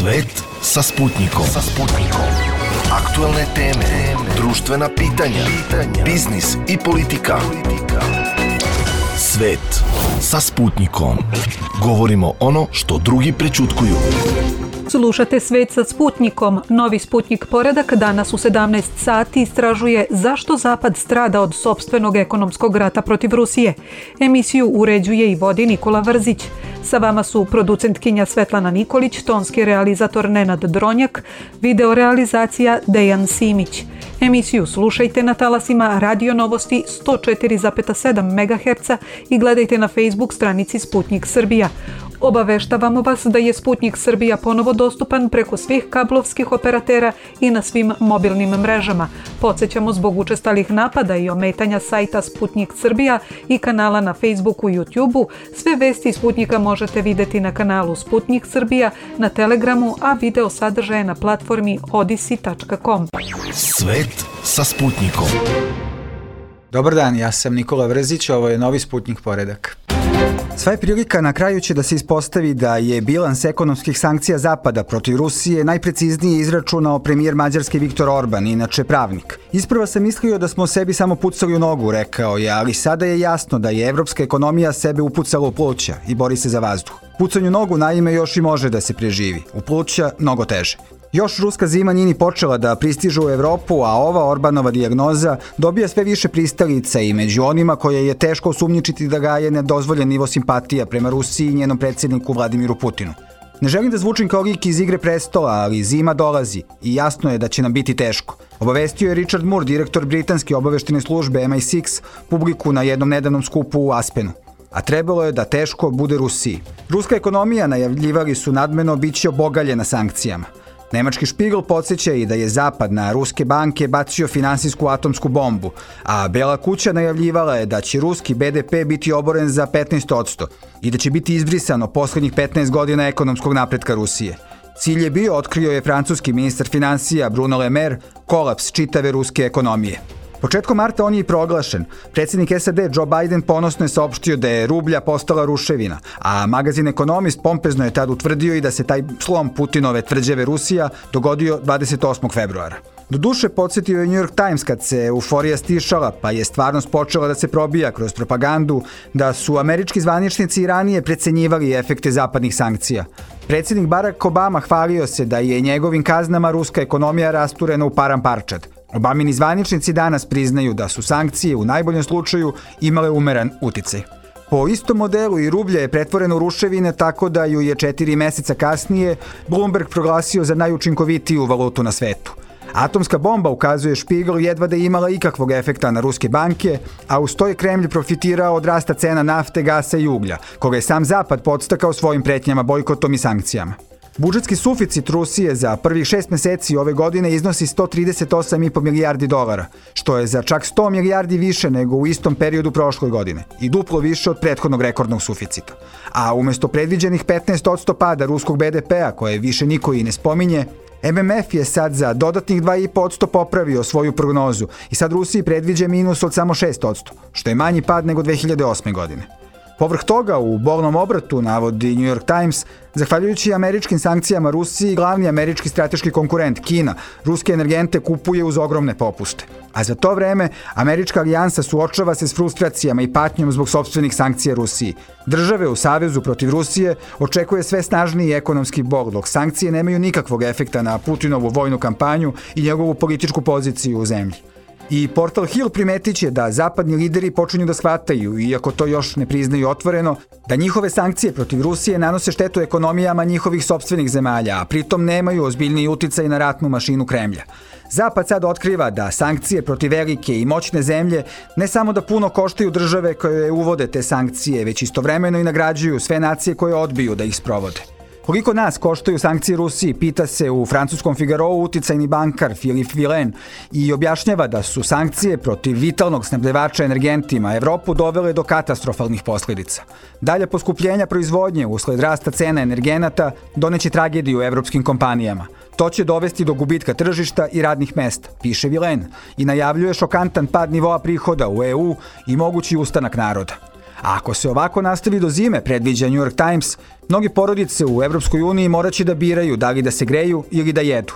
Svet sa Sputnikom. Aktuelne teme, društvena pitanja, biznis i politika. Svet sa Sputnikom. Govorimo ono što drugi prećutkuju. Slušate Svet sa Sputnikom. Novi Sputnik poredak danas u 17 sati istražuje zašto Zapad strada od sopstvenog ekonomskog rata protiv Rusije. Emisiju uređuje i vodi Nikola Vrzić. Sa vama su producentkinja Svetlana Nikolić, tonski realizator Nenad Dronjak, videorealizacija Dejan Simić. Emisiju slušajte na talasima Radio Novosti 104,7 MHz i gledajte na Facebook stranici Sputnik Srbija. Obaveštavamo vas da je Sputnik Srbija ponovo dostupan preko svih kablovskih operatera i na svim mobilnim mrežama. Podsjećamo, zbog učestalih napada i ometanja sajta Sputnik Srbija i kanala na Facebooku i YouTubeu, sve vesti Sputnika možete vidjeti na kanalu Sputnik Srbija, na Telegramu, a video sadržaje na platformi odisi.com. Svet sa Sputnikom. Dobar dan, ja sam Nikola Vrzić, ovo je novi Sputnik poredak. Sva je prilika na kraju će da se ispostavi da je bilans ekonomskih sankcija Zapada protiv Rusije najpreciznije izračunao premijer Mađarske Viktor Orban, inače pravnik. Isprva sam mislio da smo sebi samo pucali u nogu, rekao je, ali sada je jasno da je evropska ekonomija sebe upucala u pluća i bori se za vazduh. Pucanju nogu naime još i može da se preživi, u pluća mnogo teže. Još ruska zima nije ni počela da pristiže u Evropu, a ova Orbanova dijagnoza dobija sve više pristalica i među onima koje je teško osumnjičiti da gaje nedozvoljen nivo simpatija prema Rusiji i njenom predsjedniku Vladimiru Putinu. Ne želim da zvučim kao lik iz Igre prestola, ali zima dolazi i jasno je da će nam biti teško. Obavestio je Richard Moore, direktor britanske obaveštene službe MI6, publiku na jednom nedavnom skupu u Aspenu. A trebalo je da teško bude Rusiji. Ruska ekonomija, najavljivali su nadmeno, biće obogaljena sankcijama. Nemački Špigl podsjeća i da je Zapad na ruske banke bacio finansijsku atomsku bombu, a Bela kuća najavljivala je da će ruski BDP biti oboren za 15% i da će biti izbrisano poslednjih 15 godina ekonomskog napretka Rusije. Cilj je bio, otkrio je francuski ministar finansija Bruno Le Maire, kolaps čitave ruske ekonomije. Početkom marta on je i proglašen. Predsjednik SAD Joe Biden ponosno je saopštio da je rublja postala ruševina, a magazin Ekonomist pompezno je tad utvrdio i da se taj slom Putinove tvrđave Rusija dogodio 28. februara. Doduše, podsjetio je New York Times kad se euforija stišala, pa je stvarnost počela da se probija kroz propagandu da su američki zvaničnici i ranije precenjivali efekte zapadnih sankcija. Predsjednik Barack Obama hvalio se da je njegovim kaznama ruska ekonomija rasturena u param parčad. Obamini zvaničnici danas priznaju da su sankcije u najboljem slučaju imale umeran uticaj. Po istom modelu i rublja je pretvoreno u ruševine, tako da ju je 4 meseca kasnije Bloomberg proglasio za najučinkovitiju valutu na svetu. Atomska bomba, ukazuje Špigl, jedva da je imala ikakvog efekta na ruske banke, a uz to je Kremlj profitirao od rasta cena nafte, gasa i uglja, koga je sam Zapad podstakao svojim pretnjama, bojkotom i sankcijama. Budžetski suficit Rusije za prvih 6 meseci ove godine iznosi $138,5 milijardi, što je za čak 100 milijardi više nego u istom periodu prošle godine i duplo više od prethodnog rekordnog suficita. A umesto predviđenih 15% pada ruskog BDP-a, koje više niko i ne spominje, MMF je sad za dodatnih 2,5% popravio svoju prognozu i sad Rusiji predviđa minus od samo 6%, što je manji pad nego 2008. godine. Povrh toga, u bolnom obratu, navodi New York Times, zahvaljujući američkim sankcijama Rusiji, glavni američki strateški konkurent Kina ruske energente kupuje uz ogromne popuste. A za to vreme američka alijansa suočava se s frustracijama i patnjom zbog sopstvenih sankcija Rusiji. Države u savezu protiv Rusije očekuje sve snažniji ekonomski bol, dok sankcije nemaju nikakvog efekta na Putinovu vojnu kampanju i njegovu političku poziciju u zemlji. I portal Hill primetit će da zapadni lideri počinju da shvataju, iako to još ne priznaju otvoreno, da njihove sankcije protiv Rusije nanose štetu ekonomijama njihovih sopstvenih zemalja, a pritom nemaju ozbiljniji uticaj na ratnu mašinu Kremlja. Zapad sad otkriva da sankcije protiv velike i moćne zemlje ne samo da puno koštaju države koje uvode te sankcije, već istovremeno i nagrađuju sve nacije koje odbiju da ih sprovode. Koliko nas koštaju sankcije Rusiji, pita se u francuskom Figarou uticajni bankar Philippe Villain i objašnjava da su sankcije protiv vitalnog snabdevača energentima Evropu dovele do katastrofalnih posljedica. Dalje poskupljenja proizvodnje usled rasta cena energenata doneće tragediju evropskim kompanijama. To će dovesti do gubitka tržišta i radnih mesta, piše Villain, i najavljuje šokantan pad nivoa prihoda u EU i mogući ustanak naroda. A ako se ovako nastavi do zime, predviđa New York Times, mnogi porodice u Evropskoj uniji moraće da biraju da li da se greju ili da jedu.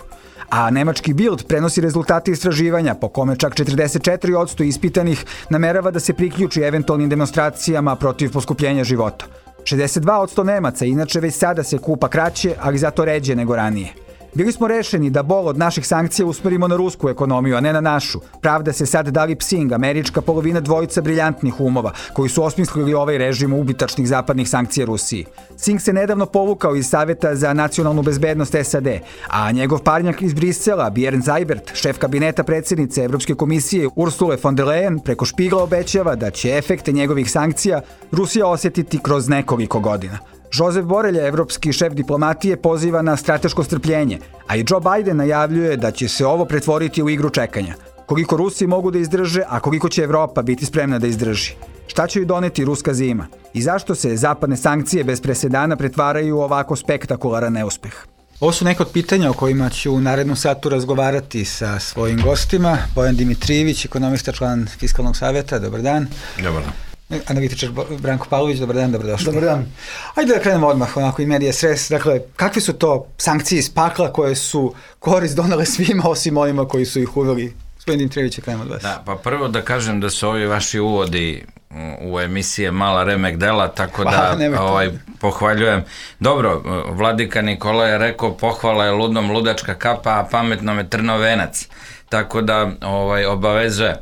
A nemački Bild prenosi rezultate istraživanja po kome čak 44% ispitanih namerava da se priključi eventualnim demonstracijama protiv poskupljenja života. 62% Nemaca inače već sada se kupa kraće, ali zato ređe nego ranije. Bili smo rešeni da bol od naših sankcija usmerimo na rusku ekonomiju, a ne na našu. Pravda se sad Dali Psing, američka polovina dvojica briljantnih umova, koji su osmislili ovaj režim ubitačnih zapadnih sankcija Rusiji. Singh se nedavno povukao iz Saveta za nacionalnu bezbednost SAD, a njegov parnjak iz Brisela, Bjorn Seibert, šef kabineta predsjednice Evropske komisije Ursule von der Leyen, preko Špigla obećava da će efekte njegovih sankcija Rusija osjetiti kroz nekoliko godina. Josep Borrell, evropski šef diplomatije, poziva na strateško strpljenje, a i Joe Biden najavljuje da će se ovo pretvoriti u igru čekanja. Koliko Rusi mogu da izdrže, a koliko će Evropa biti spremna da izdrži? Šta će ju doneti ruska zima? I zašto se zapadne sankcije bez presedana pretvaraju u ovako spektakularan neuspeh? Ovo su neka od pitanja o kojima ću u narednom satu razgovarati sa svojim gostima. Bojan Dimitrijević, ekonomista, član Fiskalnog saveta. Dobar dan. Dobar dan. Analitičar Branko Pavlović, dobar dan, dobrodošli. Dobar dan. Ajde da krenemo odmah, onako i medija stres. Dakle, kakve su to sankcije iz pakla koje su korist donale svima osim onima koji su ih uveli? Gospodin Dimitrijević, krenemo od vas. Da, pa prvo da kažem da su ovi vaši uvodi u emisije mala remek dela, tako da pohvaljujem. Dobro, vladika Nikola je rekao pohvala je ludnom ludačka kapa, a pametnom je trnov venac. Tako da obavezuje.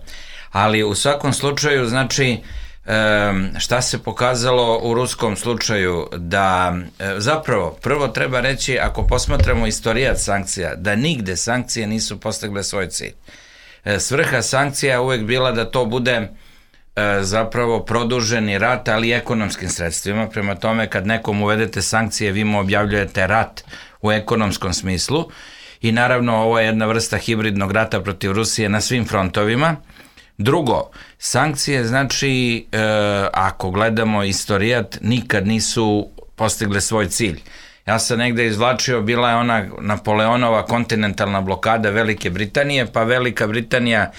Ali u svakom slučaju, znači, šta se pokazalo u ruskom slučaju, da zapravo prvo treba reći, ako posmatramo istorijat sankcija, da nigde sankcije nisu postigle svoj cilj. Svrha sankcija je uvek bila da to bude zapravo produženi rat, ali i ekonomskim sredstvima. Prema tome, kad nekom uvedete sankcije, vi mu objavljujete rat u ekonomskom smislu i naravno ovo je jedna vrsta hibridnog rata protiv Rusije na svim frontovima. Drugo, sankcije, znači, ako gledamo istorijat, nikad nisu postigle svoj cilj. Ja sam negde izvlačio, bila je ona Napoleonova kontinentalna blokada Velike Britanije, pa Velika Britanija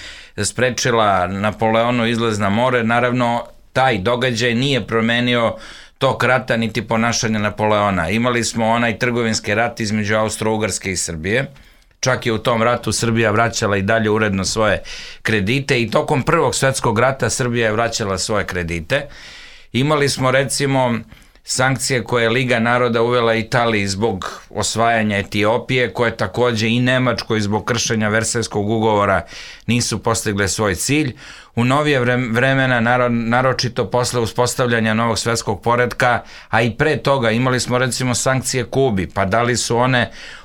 sprečila Napoleonu izlaz na more. Naravno, taj događaj nije promenio tok rata niti ponašanje Napoleona. Imali smo onaj trgovinski rat između Austro-Ugarske i Srbije. Čak je u tom ratu Srbija vraćala i dalje uredno svoje kredite i tokom Prvog svjetskog rata Srbija je vraćala svoje kredite. Imali smo recimo sankcije koje je Liga naroda uvela Italiji zbog osvajanja Etiopije, koje takođe i Nemačkoj zbog kršenja Versajskog ugovora nisu postigle svoj cilj. U novije vremena, naročito posle uspostavljanja novog svetskog poretka, a i pre toga imali smo recimo sankcije Kubi, pa da li su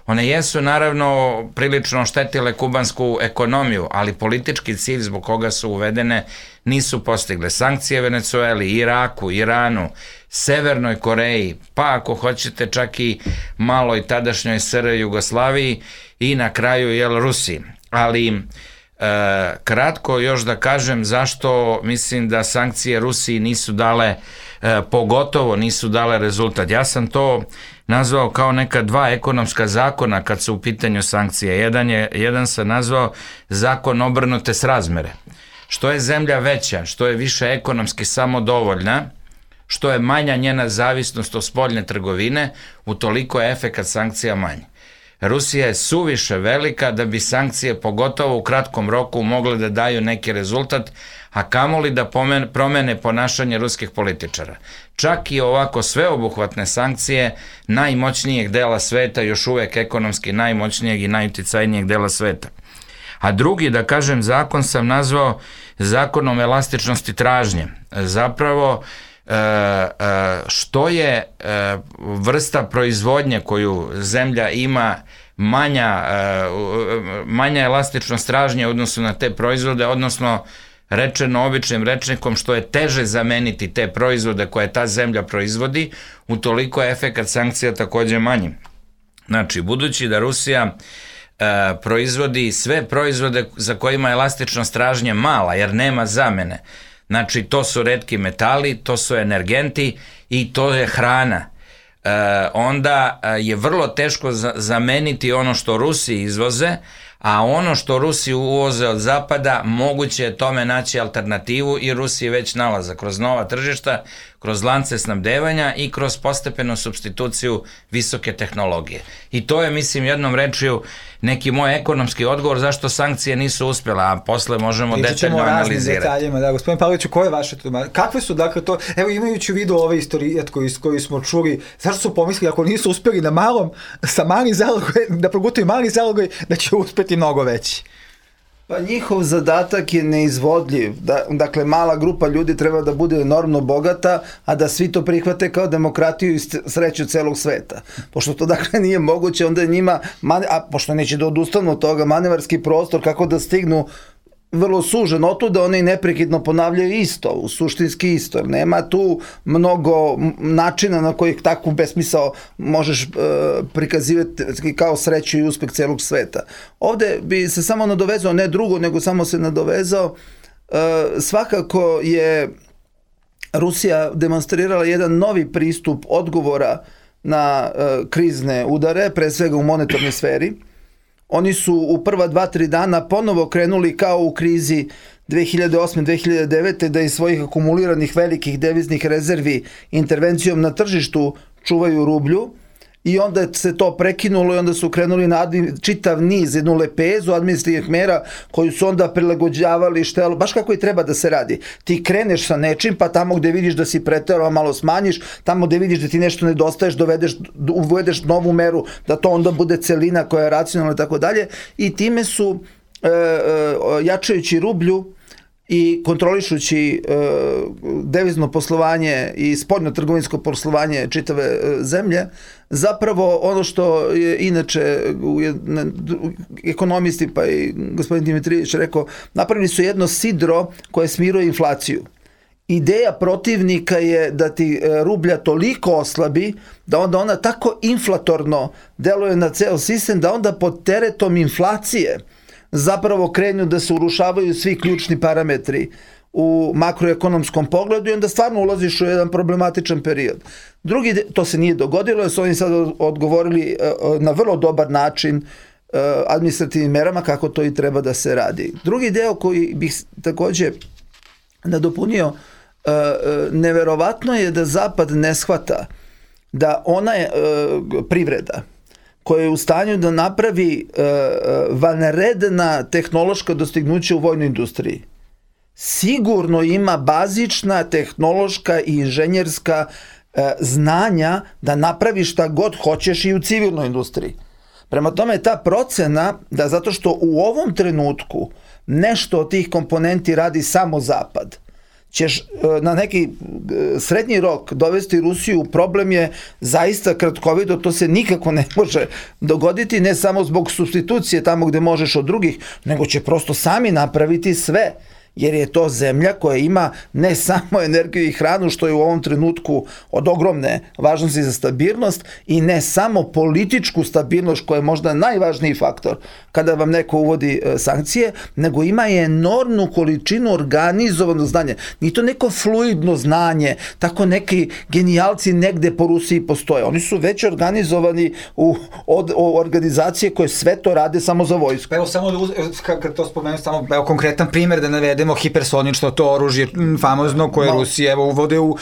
one jesu naravno prilično štetile kubansku ekonomiju, ali politički cilj zbog koga su uvedene nisu postigle. Sankcije Venecueli, Iraku, Iranu, Severnoj Koreji, pa ako hoćete čak i maloj tadašnjoj SR Jugoslaviji i na kraju Rusiji. Ali kratko još da kažem zašto mislim da sankcije Rusiji nisu dale, pogotovo nisu dale rezultat. Ja sam to nazvao kao neka dva ekonomska zakona kad su u pitanju sankcije. Jedan sam nazvao zakon obrnute srazmere. Što je zemlja veća, što je više ekonomski samodovoljna, što je manja njena zavisnost od spoljne trgovine, utoliko je efekat sankcija manji. Rusija je suviše velika da bi sankcije, pogotovo u kratkom roku, mogle da daju neki rezultat, a kamoli da promene ponašanje ruskih političara. Čak i ovako sveobuhvatne sankcije najmoćnijeg dela sveta, još uvek ekonomski najmoćnijeg i najuticajnijeg dela sveta. A drugi, da kažem, zakon sam nazvao zakonom elastičnosti tražnje. Zapravo, što je vrsta proizvodnje koju zemlja ima manja elastičnost tražnje u odnosu na te proizvode, odnosno rečeno običnim rečnikom, što je teže zameniti te proizvode koje ta zemlja proizvodi, utoliko je efekat sankcija takođe manji. Znači, budući da Rusija proizvodi sve proizvode za kojima je elastičnost tražnje mala, jer nema zamene. Znači, to su retki metali, to su energenti i to je hrana. Onda je vrlo teško zameniti ono što Rusi izvoze, a ono što Rusi uvoze od zapada, moguće je tome naći alternativu i Rusi već nalaze kroz nova tržišta, kroz lance snabdevanja i kroz postepenu supstituciju visoke tehnologije. I to je, mislim, jednom rečju neki moj ekonomski odgovor zašto sankcije nisu uspjela, a posle možemo detaljno analizirati. Detaljima, da, gospodin Pavloviću, koje je vaše tumačenje? Kakve su, dakle, to, evo imajući u vidu ove istorijat koji smo čuli, zašto su pomislili ako nisu uspjeli na malom, sa mali zalogoj, da progutaju mali zalogoj, da će uspjeti mnogo veći? Pa njihov zadatak je neizvodljiv. Dakle, mala grupa ljudi treba da bude enormno bogata, a da svi to prihvate kao demokratiju i sreću celog sveta. Pošto to dakle nije moguće, onda je njima, a pošto neće da odustanu od toga, manevarski prostor kako da stignu vrlo sužen, otuda oni neprekidno ponavljaju isto, suštinski isto, jer nema tu mnogo načina na kojih takvu besmisao možeš prikazivati kao sreću i uspeh celog sveta. Ovde bi se samo nadovezao, ne drugo, nego samo se nadovezao, svakako je Rusija demonstrirala jedan novi pristup odgovora na krizne udare, pre svega u monetarnoj sferi. Oni su u prva 2-3 dana ponovo krenuli kao u krizi 2008-2009. da iz svojih akumuliranih velikih deviznih rezervi intervencijom na tržištu čuvaju rublju i onda se to prekinulo i onda su krenuli na čitav niz, jednu lepezu administrativnih mera koju su onda prilagođavali štelu, baš kako i treba da se radi. Ti kreneš sa nečim, pa tamo gde vidiš da si preterao malo smanjiš, tamo gde vidiš da ti nešto nedostaješ, uvedeš novu meru, da to onda bude celina koja je racionalna i tako dalje, i time su jačajući rublju i kontrolišući devizno poslovanje i spoljno-trgovinsko poslovanje čitave zemlje, zapravo ono što je inače ekonomisti pa i gospodin Dimitrijević rekao, napravili su jedno sidro koje smiruje inflaciju. Ideja protivnika je da ti rublja toliko oslabi da onda ona tako inflatorno deluje na ceo sistem da onda pod teretom inflacije zapravo krenu da se urušavaju svi ključni parametri u makroekonomskom pogledu i onda stvarno ulaziš u jedan problematičan period. To se nije dogodilo, jer su oni sad odgovorili na vrlo dobar način administrativnim merama kako to i treba da se radi. Drugi deo koji bih takođe nadopunio, neverovatno je da Zapad ne shvata da ona je privreda koja je u stanju da napravi vanredna tehnološka dostignuća u vojnoj industriji. Sigurno ima bazična tehnološka i inženjerska znanja da napravi šta god hoćeš i u civilnoj industriji. Prema tome, ta procena da zato što u ovom trenutku nešto od tih komponenti radi samo Zapad, ćeš na neki srednji rok dovesti Rusiju u problem je zaista kratkovido, to se nikako ne može dogoditi, ne samo zbog supstitucije tamo gde možeš od drugih, nego će prosto sami napraviti sve, jer je to zemlja koja ima ne samo energiju i hranu, što je u ovom trenutku od ogromne važnosti za stabilnost, i ne samo političku stabilnost, koja je možda najvažniji faktor kada vam neko uvodi sankcije, nego ima i enormnu količinu organizovanog znanja. Nije to neko fluidno znanje, tako neki genijalci negde po Rusiji postoje. Oni su već organizovani u organizacije koje sve to rade samo za vojsku. Evo samo, kad to spomenem, samo konkretan primjer da navedemo, hipersonično to oružje famozno koje Rusije uvode u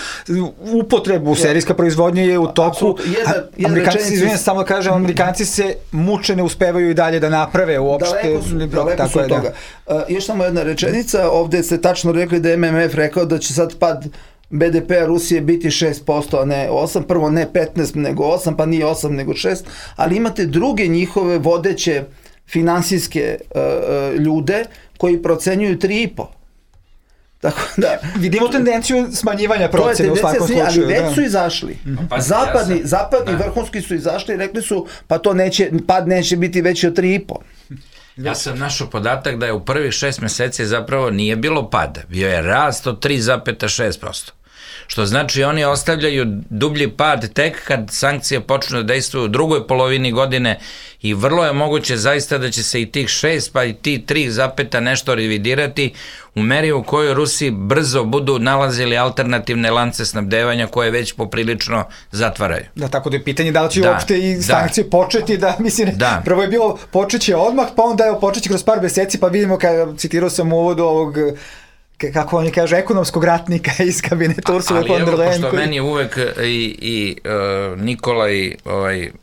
upotrebu, serijska proizvodnja je u toku. Amerikanci se muče, ne uspevaju i dalje da naprave uopšte. Daleko su od toga. Još samo jedna rečenica, ovde ste tačno rekli da je MMF rekao da će sad pad BDP-a Rusije biti 6%, a ne 8%, prvo ne 15 nego 8, pa nije 8 nego 6, ali imate druge njihove vodeće finansijske ljude koji procenjuju 3,5%. Tako da vidimo tendenciju smanjivanja procene u svakom slučaju. Ali već su izašli. Zapadni vrhunski su izašli i rekli su pa to pad neće biti veći od 3,5%. Ja sam našao podatak da je u prvih 6 meseci zapravo nije bilo pada. Bio je rast od 3,6%. što znači oni ostavljaju dublji pad tek kad sankcije počnu da dejstvuju u drugoj polovini godine i vrlo je moguće zaista da će se i tih 6 pa i ti 3 nešto revidirati u meri u kojoj Rusi brzo budu nalazili alternativne lance snabdevanja koje već poprilično zatvaraju. Da, tako da je pitanje da li će uopšte i sankcije početi, prvo je bilo počeće odmah, pa onda je počeće kroz par meseci, pa vidimo, citirao sam u uvodu ovog, kako oni kažu, ekonomskog ratnika iz kabineta Ursula von der Leyen. Ali evo, pošto meni uvek i Nikola i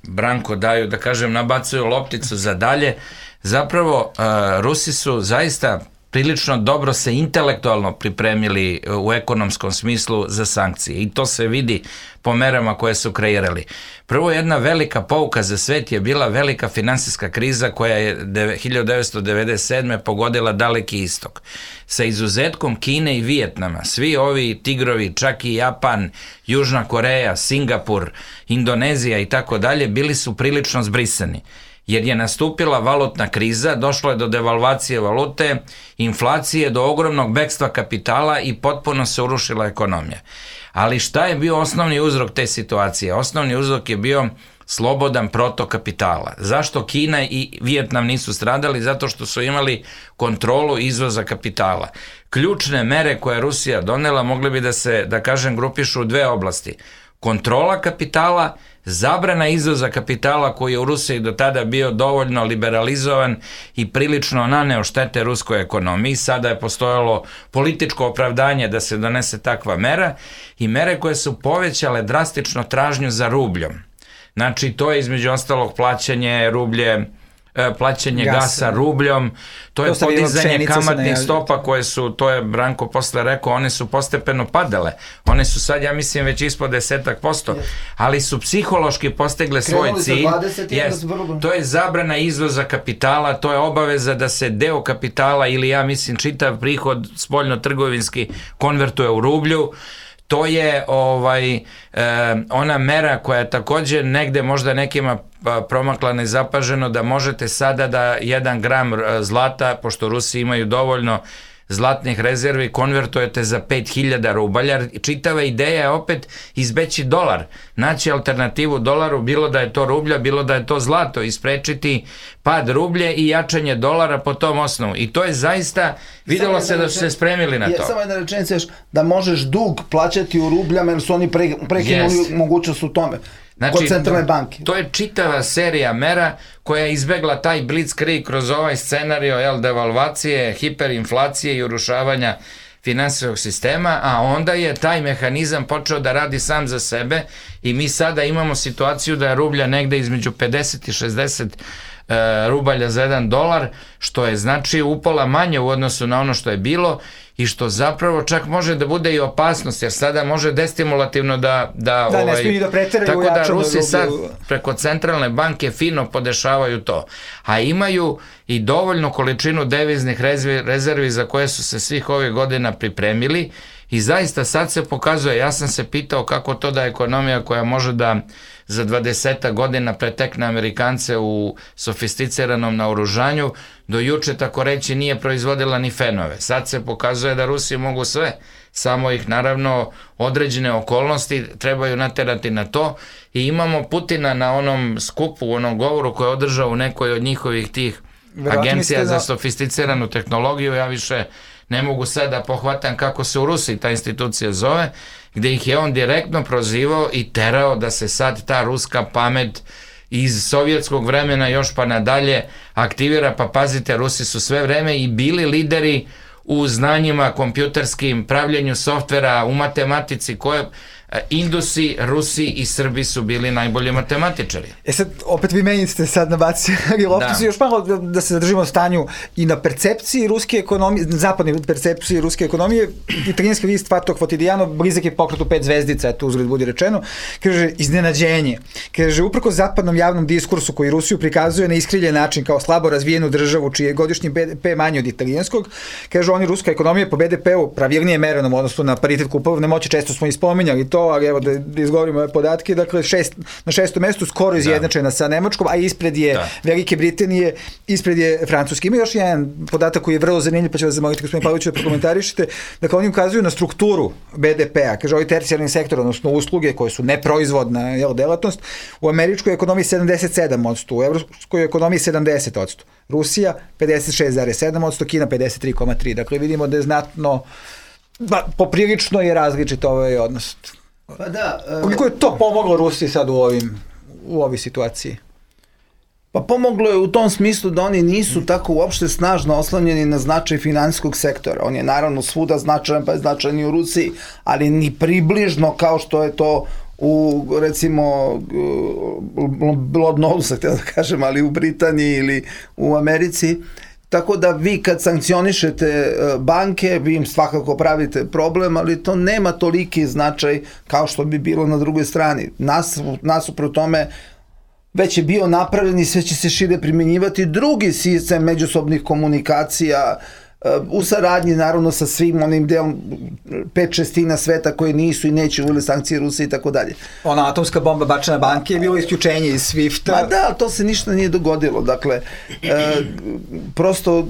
Branko daju, da kažem, nabacuju lopticu za dalje, zapravo Rusi su zaista prilično dobro se intelektualno pripremili u ekonomskom smislu za sankcije i to se vidi po merama koje su kreirali. Prvo, jedna velika pouka za svet je bila velika finansijska kriza koja je 1997. pogodila Daleki istok. Sa izuzetkom Kine i Vijetnama, svi ovi tigrovi, čak i Japan, Južna Koreja, Singapur, Indonezija i tako dalje, bili su prilično zbrisani. Jer je nastupila valutna kriza, došlo je do devalvacije valute, inflacije, do ogromnog bekstva kapitala i potpuno se urušila ekonomija. Ali šta je bio osnovni uzrok te situacije? Osnovni uzrok je bio slobodan protok kapitala. Zašto Kina i Vijetnam nisu stradali? Zato što su imali kontrolu izvoza kapitala. Ključne mere koje je Rusija donela mogle bi da se, da kažem, grupišu u 2 oblasti. Kontrola kapitala, zabrana izvoza kapitala koji je u Rusiji do tada bio dovoljno liberalizovan i prilično naneo štete ruskoj ekonomiji. Sada je postojalo političko opravdanje da se donese takva mera i mere koje su povećale drastično tražnju za rubljom. Znači, to je između ostalog plaćanje gasa rubljom, to je podizanje kamatnih stopa koje su, to je Branko posle rekao, one su postepeno padale. One su sad, ja mislim, već ispod 10%, ali su psihološki postegle svoj cilj. To je zabrana izvoza kapitala, to je obaveza da se deo kapitala ili, ja mislim, čitav prihod spoljno-trgovinski konvertuje u rublju. To je ona mera koja je također negde možda nekima promakla nezapaženo, da možete sada da 1 gram zlata, pošto Rusi imaju dovoljno zlatnih rezervi, konvertujete za 5000 rubalja. Čitava ideja je opet izbeći dolar, naći alternativu dolaru, bilo da je to rublja, bilo da je to zlato, isprečiti pad rublje i jačanje dolara po tom osnovu. I to je zaista, videlo se da su se spremili na to. Samo jedna rečenica još, da možeš dug plaćati u rubljama, jer su oni prekinuli mogućnost u tome. Kod centralne banke. To je čitava serija mera koja je izbegla taj blitzkrieg kroz ovaj scenario devalvacije, hiperinflacije i urušavanja finansijskog sistema, a onda je taj mehanizam počeo da radi sam za sebe i mi sada imamo situaciju da je rublja negde između 50 i 60 rubalja za $1, što je znači upola manje u odnosu na ono što je bilo i što zapravo čak može da bude i opasnost, jer sada može destimulativno ne smiju da preteraju u jačanju rublja. Tako da Rusi sad preko centralne banke fino podešavaju to. A imaju i dovoljnu količinu deviznih rezervi za koje su se svih ovih godina pripremili i zaista sad se pokazuje, ja sam se pitao kako to da ekonomija koja može da za 20 godina pretekne Amerikance u sofisticiranom naoružanju, do juče, tako reći, nije proizvodila ni fenove. Sad se pokazuje da Rusi mogu sve, samo ih naravno određene okolnosti trebaju naterati na to i imamo Putina na onom skupu, u onom govoru koji je održao u nekoj od njihovih tih agencija za sofisticiranu tehnologiju, ja više ne mogu sad da pohvatam kako se u Rusiji ta institucija zove, gde ih je on direktno prozivao i terao da se sad ta ruska pamet iz sovjetskog vremena još pa nadalje aktivira, pa pazite, Rusi su sve vreme i bili lideri u znanjima kompjuterskim, pravljenju softvera, u matematici, koje Indusi, Rusi i Srbi su bili najbolji matematičari. Sad, opet vi meni ste sad nabacili lopticu, još malo da se zadržimo o stanju i na percepciji ruske ekonomije, zapadnoj percepciji ruske ekonomije. Italijanski list Fatto Quotidiano, blizak je pokretu 5 zvezdica, eto uzgled budi rečeno, kaže iznenađenje. Kaže, uprko zapadnom javnom diskursu koji Rusiju prikazuje na iskriljen način kao slabo razvijenu državu čiji je godišnji BDP manji od italijanskog, kaže, oni ruska ekonomija po BDP-u pravilnije merenom, odnosno na paritet kupovne moći, često smo i spominjali to, ali evo da izgovorimo ove podatke, dakle na 6. mestu skoro izjednačena sa Nemačkom, a ispred je Velike Britanije, ispred je Francuske. Ima još jedan podatak koji je vrlo zanimljiv, pa ću vas zamoliti, gospodin Pavlović, da prokomentarišete. Dakle, oni ukazuju na strukturu BDP-a, kaže ovaj tercijarni sektor, odnosno usluge koje su neproizvodna delatnost, u američkoj ekonomiji 77%, u evropskoj ekonomiji 70%, Rusija 56,7%, Kina 53,3%. Dakle, vidimo da je znatno, poprilično je različit ovaj odnos. Pa da. Koliko je to pomoglo Rusiji sad u ovoj situaciji? Pa pomoglo je u tom smislu da oni nisu tako uopšte snažno oslanjeni na značaj finansijskog sektora. On je naravno svuda značajan, pa je značajan i u Rusiji, ali ni približno kao što je to u, recimo, Londonu, da kažem, ali u Britaniji ili u Americi. Tako da vi kad sankcionišete banke, vi im svakako pravite problem, ali to nema toliki značaj kao što bi bilo na drugoj strani. Nasuprot tome već je bio napravljen i sve će se šire primjenjivati drugi sistem međusobnih komunikacija u saradnji naravno sa svim onim delom 5/6 sveta koji nisu i neće uveli sankcije Rusije i tako dalje. Ona atomska bomba bačena banke je bilo isključenje iz SWIFT-a. Pa da, ali to se ništa nije dogodilo. Dakle, prosto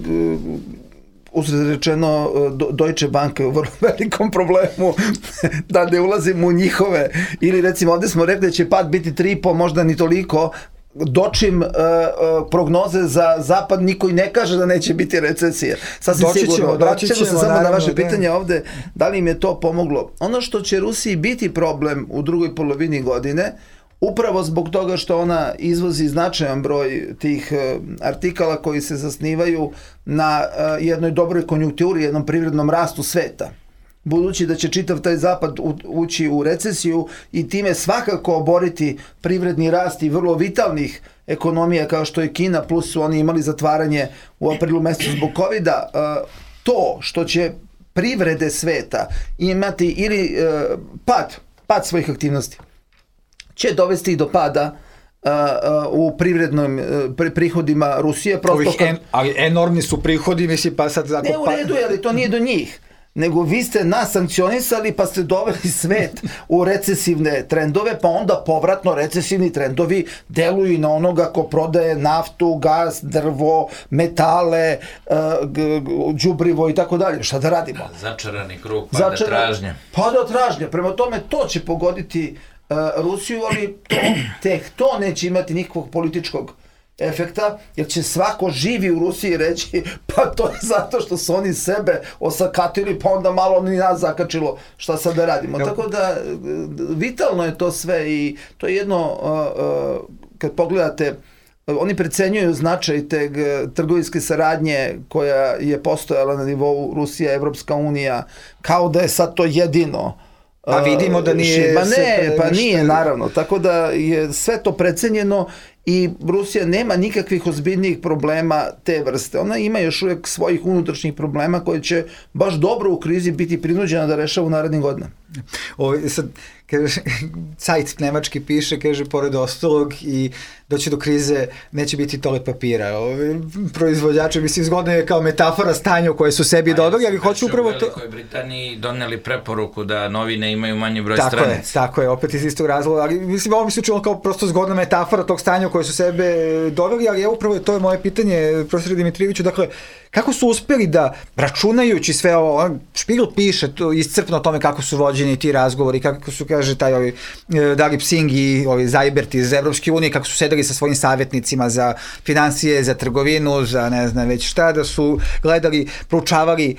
uzred rečeno, Deutsche Bank je u vrlo velikom problemu, da ne ulazimo u njihove, ili recimo ovdje smo rekli da će pad biti 3,5, možda ni toliko, dočim prognoze za zapad niko i ne kaže da neće biti recesija. Sasvim sigurno. Vratit ćemo se samo na vaše pitanje ovde, da li im je to pomoglo. Ono što će Rusiji biti problem u drugoj polovini godine, upravo zbog toga što ona izvozi značajan broj tih artikala koji se zasnivaju na jednoj dobroj konjunkturi, jednom privrednom rastu sveta. Budući da će čitav taj zapad ući u recesiju i time svakako oboriti privredni rast i vrlo vitalnih ekonomija kao što je Kina, plus su oni imali zatvaranje u aprilu mesecu zbog COVID-a, to što će privrede sveta imati ili pad svojih aktivnosti će dovesti do pada u privrednim prihodima Rusije. Ali enormni su prihodi, misli, pa sad... Ne u redu, ali to nije do njih. Nego vi ste nas sankcionisali pa ste doveli svet u recesivne trendove, pa onda povratno recesivni trendovi deluju i na onoga ko prodaje naftu, gas, drvo, metale, đubrivo i tako dalje. Šta da radimo? Začarani krug, pada tražnja. Pada tražnja. Prema tome to će pogoditi Rusiju, ali to neće imati nikakvog političkog efekta, jer će svako živi u Rusiji reći pa to je zato što su oni sebe osakatili, pa onda malo ni nas zakačilo, šta sad da radimo. Tako da vitalno je to sve i to je jedno, kad pogledate, oni precenjuju značaj te trgovinske saradnje koja je postojala na nivou Rusija, Evropska unija, kao da je sad to jedino. Pa vidimo da nije... Pa nije, naravno. Tako da je sve to precenjeno i Rusija nema nikakvih ozbiljnijih problema te vrste. Ona ima još uvijek svojih unutrašnjih problema koje će baš dobro u krizi biti prinuđena da rešava u narednim godinama. Sad, kaže, Zeit nemački piše, kaže, pored ostalog i doći do krize neće biti toalet papira. Proizvođači, mislim, zgodno je kao metafora stanja u koje su sebi dodali, ali hoću upravo to... U Velikoj Britaniji doneli preporuku da novine imaju manji broj stranica. Tako je, opet iz istog razloga, ali mislim, ovo mi se učilo kao prosto zgodna metafora tog stanja u koje su sebe doveli, ali upravo to je moje pitanje, profesor Dimitrijeviću, dakle, kako su uspeli da, računajući sve ovo, Špigl piše to iscrpno o tome kako su vođeni ti razgovori, kako su, kaže, taj Dalip Singh i Zajbert iz Evropske unije, kako su sedeli sa svojim savjetnicima za financije, za trgovinu, za ne znam već šta, da su gledali, proučavali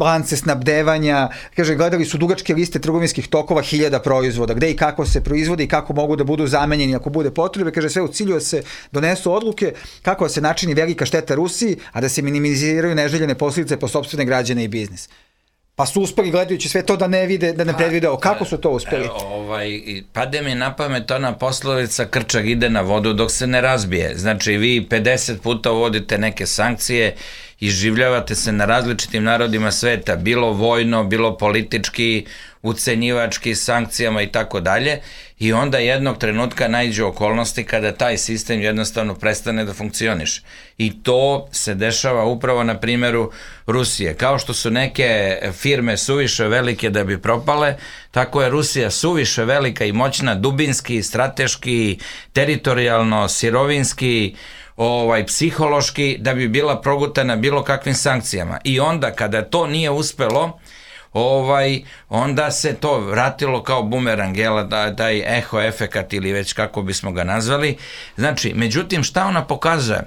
lance snabdevanja, kaže, gledali su dugačke liste trgovinskih tokova 1000 proizvoda, gde i kako se proizvode i kako mogu da budu zamenjeni ako bude potrebe, kaže, sve u cilju da se donesu odluke kako da se načini velika šteta Rusiji, a da se minimiziraju neželjene posljedice po sopstvene građane i biznis. Pa su uspeli, gledajući sve to, da ne vide, da ne predvide. Kako su to uspeli? Pade mi na pamet ona poslovica krčak ide na vodu dok se ne razbije. Znači, vi 50 puta uvodite neke sankcije, iživljavate se na različitim narodima sveta, bilo vojno, bilo politički, ucenjivački, sankcijama i tako dalje. i onda jednog trenutka naiđu okolnosti kada taj sistem jednostavno prestane da funkcioniše. I to se dešava upravo na primjeru Rusije. Kao što su neke firme suviše velike da bi propale, tako je Rusija suviše velika i moćna, dubinski, strateški, teritorijalno, sirovinski, psihološki, da bi bila progutana bilo kakvim sankcijama. I onda kada to nije uspelo, onda se to vratilo kao bumerang, taj eho efekat ili već kako bismo ga nazvali. Znači, međutim, šta ona pokazuje?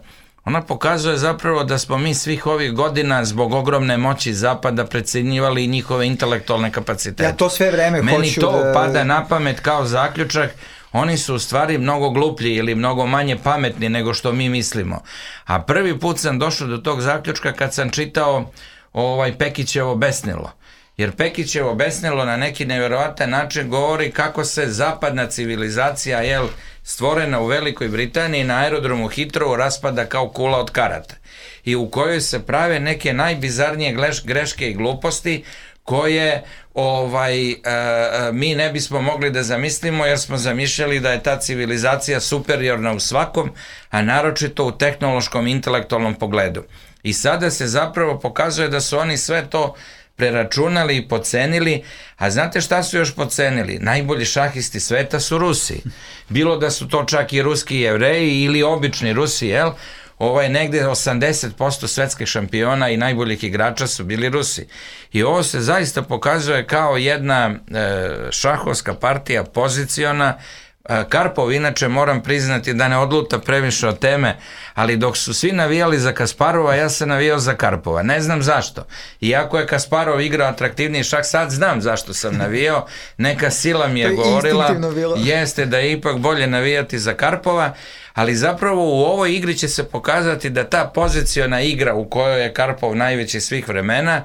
Ona pokazuje zapravo da smo mi svih ovih godina zbog ogromne moći Zapada precenjivali njihove intelektualne kapacitete. Ja to sve vreme hoću da... Meni to pada na pamet kao zaključak. Oni su u stvari mnogo gluplji ili mnogo manje pametni nego što mi mislimo. A prvi put sam došao do tog zaključka kad sam čitao Pekićevo besnilo. Jer Pekićevo besnilo na neki nevjerovatan način govori kako se zapadna civilizacija, stvorena u Velikoj Britaniji na aerodromu Heathrow, raspada kao kula od karata. I u kojoj se prave neke najbizarnije greške i gluposti koje mi ne bismo mogli da zamislimo, jer smo zamišljali da je ta civilizacija superiorna u svakom, a naročito u tehnološkom i intelektualnom pogledu. I sada se zapravo pokazuje da su oni sve to preračunali i pocenili, a znate šta su još pocenili? Najbolji šahisti sveta su Rusi. Bilo da su to čak i ruski Jevreji ili obični Rusi, negde 80% svetskih šampiona i najboljih igrača su bili Rusi. I ovo se zaista pokazuje kao jedna šahovska partija poziciona. Karpov, inače, moram priznati da ne odluta previše od teme, ali dok su svi navijali za Kasparova, ja sam navijao za Karpova. Ne znam zašto. Iako je Kasparov igrao atraktivniji šah, sad znam zašto sam navijao. Neka sila mi je govorila, jeste da je ipak bolje navijati za Karpova, ali zapravo u ovoj igri će se pokazati da ta poziciona igra u kojoj je Karpov najveći svih vremena,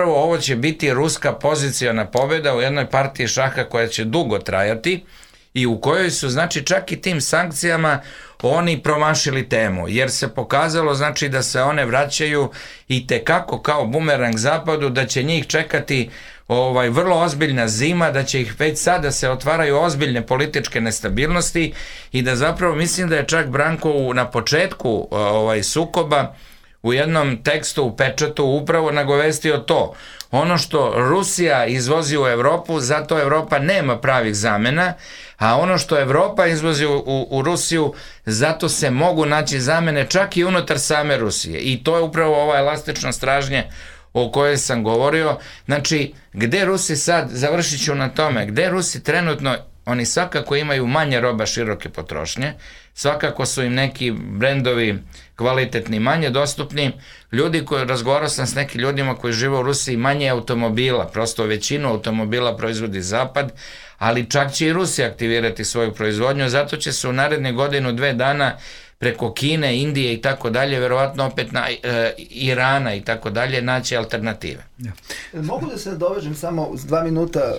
ovo će biti ruska poziciona pobjeda u jednoj partiji šaha koja će dugo trajati, i u kojoj su, znači, čak i tim sankcijama oni promašili temu, jer se pokazalo, znači, da se one vraćaju i tekako kao bumerang Zapadu, da će njih čekati vrlo ozbiljna zima, da će ih već sada se otvaraju ozbiljne političke nestabilnosti i da zapravo mislim da je čak Branko na početku sukoba u jednom tekstu u Pečatu upravo nagovestio to. Ono što Rusija izvozi u Evropu, zato Evropa nema pravih zamena, a ono što Evropa izvozi u Rusiju, zato se mogu naći zamene čak i unutar same Rusije. I to je upravo ova elastična stražnja o kojoj sam govorio. Znači, gde Rusi sad, završit ću na tome, gde Rusi trenutno, oni svakako imaju manje roba široke potrošnje, svakako su im neki brendovi kvalitetni, manje dostupni. Razgovarao sam s nekim ljudima koji žive u Rusiji, manje automobila, prosto većinu automobila proizvodi Zapad, ali čak će i Rusija aktivirati svoju proizvodnju, zato će se u narednih godinu, 2 dana preko Kine, Indije i tako dalje, verovatno opet na Irana i tako dalje, naći alternative. Mogu da se dovežem samo s 2 minuta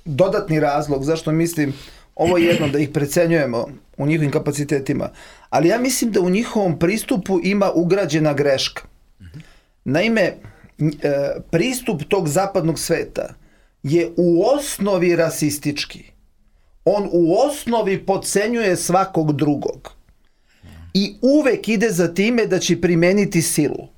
dodatni razlog zašto mislim ovo jedno da ih precenjujemo u njihovim kapacitetima, ali ja mislim da u njihovom pristupu ima ugrađena greška. Naime, pristup tog zapadnog sveta je u osnovi rasistički. On u osnovi podcenjuje svakog drugog i uvek ide za time da će primeniti silu.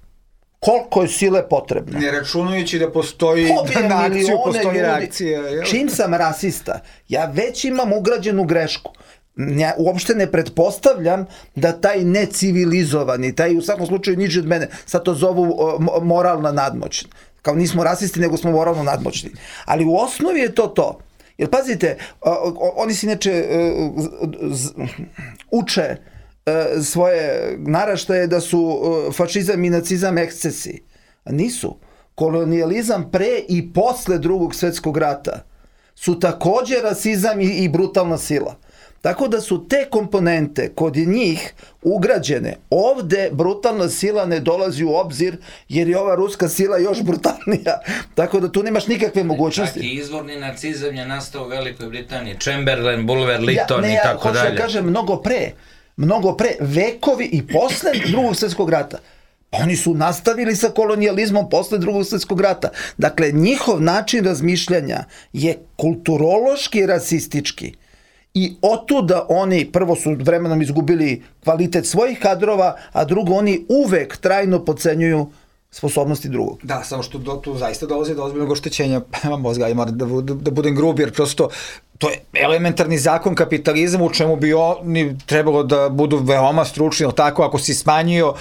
Koliko je sile potrebno. Ne računajući da postoji na akciju, postoji reakcija. Čim sam rasista, ja već imam ugrađenu grešku. Ja uopšte ne pretpostavljam da taj necivilizovani, taj u svakom slučaju niži od mene, sad to zovu moralna nadmoć. Kao nismo rasisti, nego smo moralno nadmoćni. Ali u osnovi je to. Jer pazite, oni se inače uče svoje naraštaje da su fašizam i nacizam ekscesi. A nisu. Kolonijalizam pre i posle Drugog svjetskog rata su također rasizam i brutalna sila. Tako da su te komponente kod njih ugrađene. Ovde brutalna sila ne dolazi u obzir jer je ova ruska sila još brutalnija. Tako da tu nemaš nikakve mogućnosti. Čak i izvorni nacizam je nastao u Velikoj Britaniji. Chamberlain, Bulwer, Lytton i tako dalje. Ja hoću da kažem mnogo pre, vekovi i posle Drugog svjetskog rata. Oni su nastavili sa kolonijalizmom posle Drugog svjetskog rata. Dakle, njihov način razmišljanja je kulturološki rasistički. I otuda oni prvo su vremenom izgubili kvalitet svojih kadrova, a drugo oni uvek trajno podcenjuju sposobnosti drugog. Da, samo što tu zaista dolazi do ozbiljnog oštećenja mozga, ali moram da budem grub, jer prosto to je elementarni zakon kapitalizma u čemu bi oni trebalo da budu veoma stručni, tako, ako si smanjio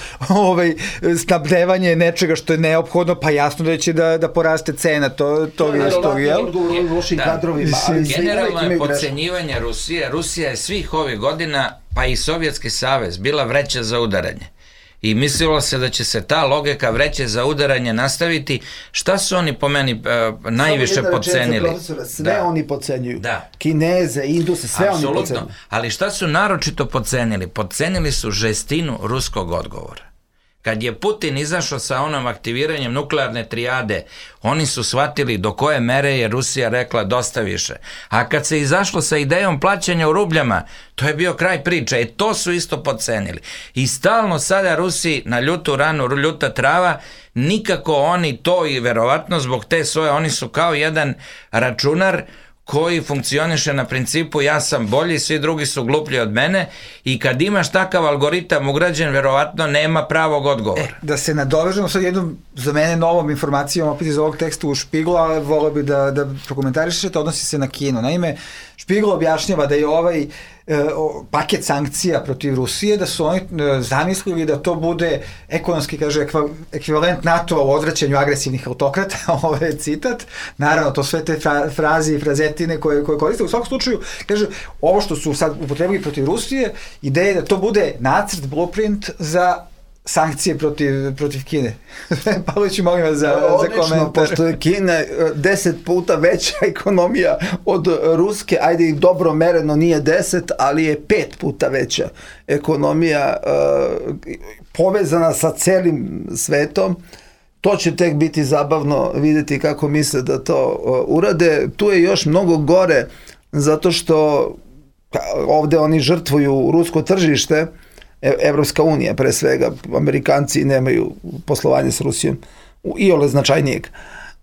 snabdevanje nečega što je neophodno, pa jasno da će da poraste cena, to je isto, jel? Generalno je podcenjivanje Rusije. Rusija je svih ovih godina, pa i Sovjetski savez, bila vreća za udaranje. I mislilo se da će se ta logika vreće za udaranje nastaviti. Šta su oni po meni najviše podcenili? Sve oni podcenjuju. Kineze, Induse, sve oni podcenjuju. Ali šta su naročito podcenili? Podcenili su žestinu ruskog odgovora. Kad je Putin izašao sa onom aktiviranjem nuklearne trijade, oni su shvatili do koje mere je Rusija rekla dosta više. A kad se izašlo sa idejom plaćanja u rubljama, to je bio kraj priče. I to su isto podcenili. I stalno sada Rusi na ljutu ranu, ljuta trava, nikako oni to i verovatno zbog te svoje, oni su kao jedan računar koji funkcioniše na principu ja sam bolji, svi drugi su gluplji od mene i kad imaš takav algoritam ugrađen, verovatno nema pravog odgovora. Da se nadovežemo sad jednom za mene novom informacijom opet iz ovog teksta u Špiglu, ali volio bi da prokomentarišete, odnosi se na Kinu. Naime, Špigl objašnjava da je ovaj paket sankcija protiv Rusije, da su oni zamislili da to bude ekonomski, kaže, ekvivalent NATO u odvraćanju agresivnih autokrata, ovo je citat, naravno to sve te fraze i frazetine koje koriste, u svakom slučaju, kaže, ovo što su sad upotrebili protiv Rusije, ideja je da to bude nacrt, blueprint za sankcije protiv Kine. Pavliću, molim vas za komentar. Pošto je Kina 10 puta veća ekonomija od ruske, ajde i dobro mereno nije 10, ali je 5 puta veća ekonomija povezana sa celim svetom. To će tek biti zabavno vidjeti kako misle da to urade. Tu je još mnogo gore, zato što ovde oni žrtvuju rusko tržište, Evropska unija pre svega, Amerikanci nemaju poslovanje s Rusijom, iole značajnijeg.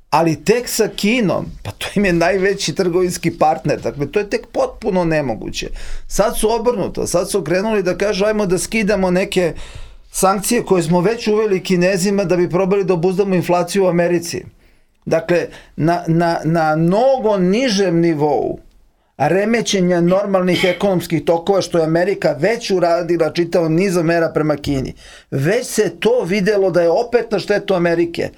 Ali tek sa Kinom, pa to im je najveći trgovinski partner, dakle to je tek potpuno nemoguće. Sad su obrnuto, sad su krenuli da kažu ajmo da skidamo neke sankcije koje smo već uveli Kinezima da bi probali da obuzdamo inflaciju u Americi. Dakle, na mnogo nižem nivou remećenja normalnih ekonomskih tokova, što je Amerika već uradila čitav niz mera prema Kini. Već se to videlo da je opet na štetu Amerike,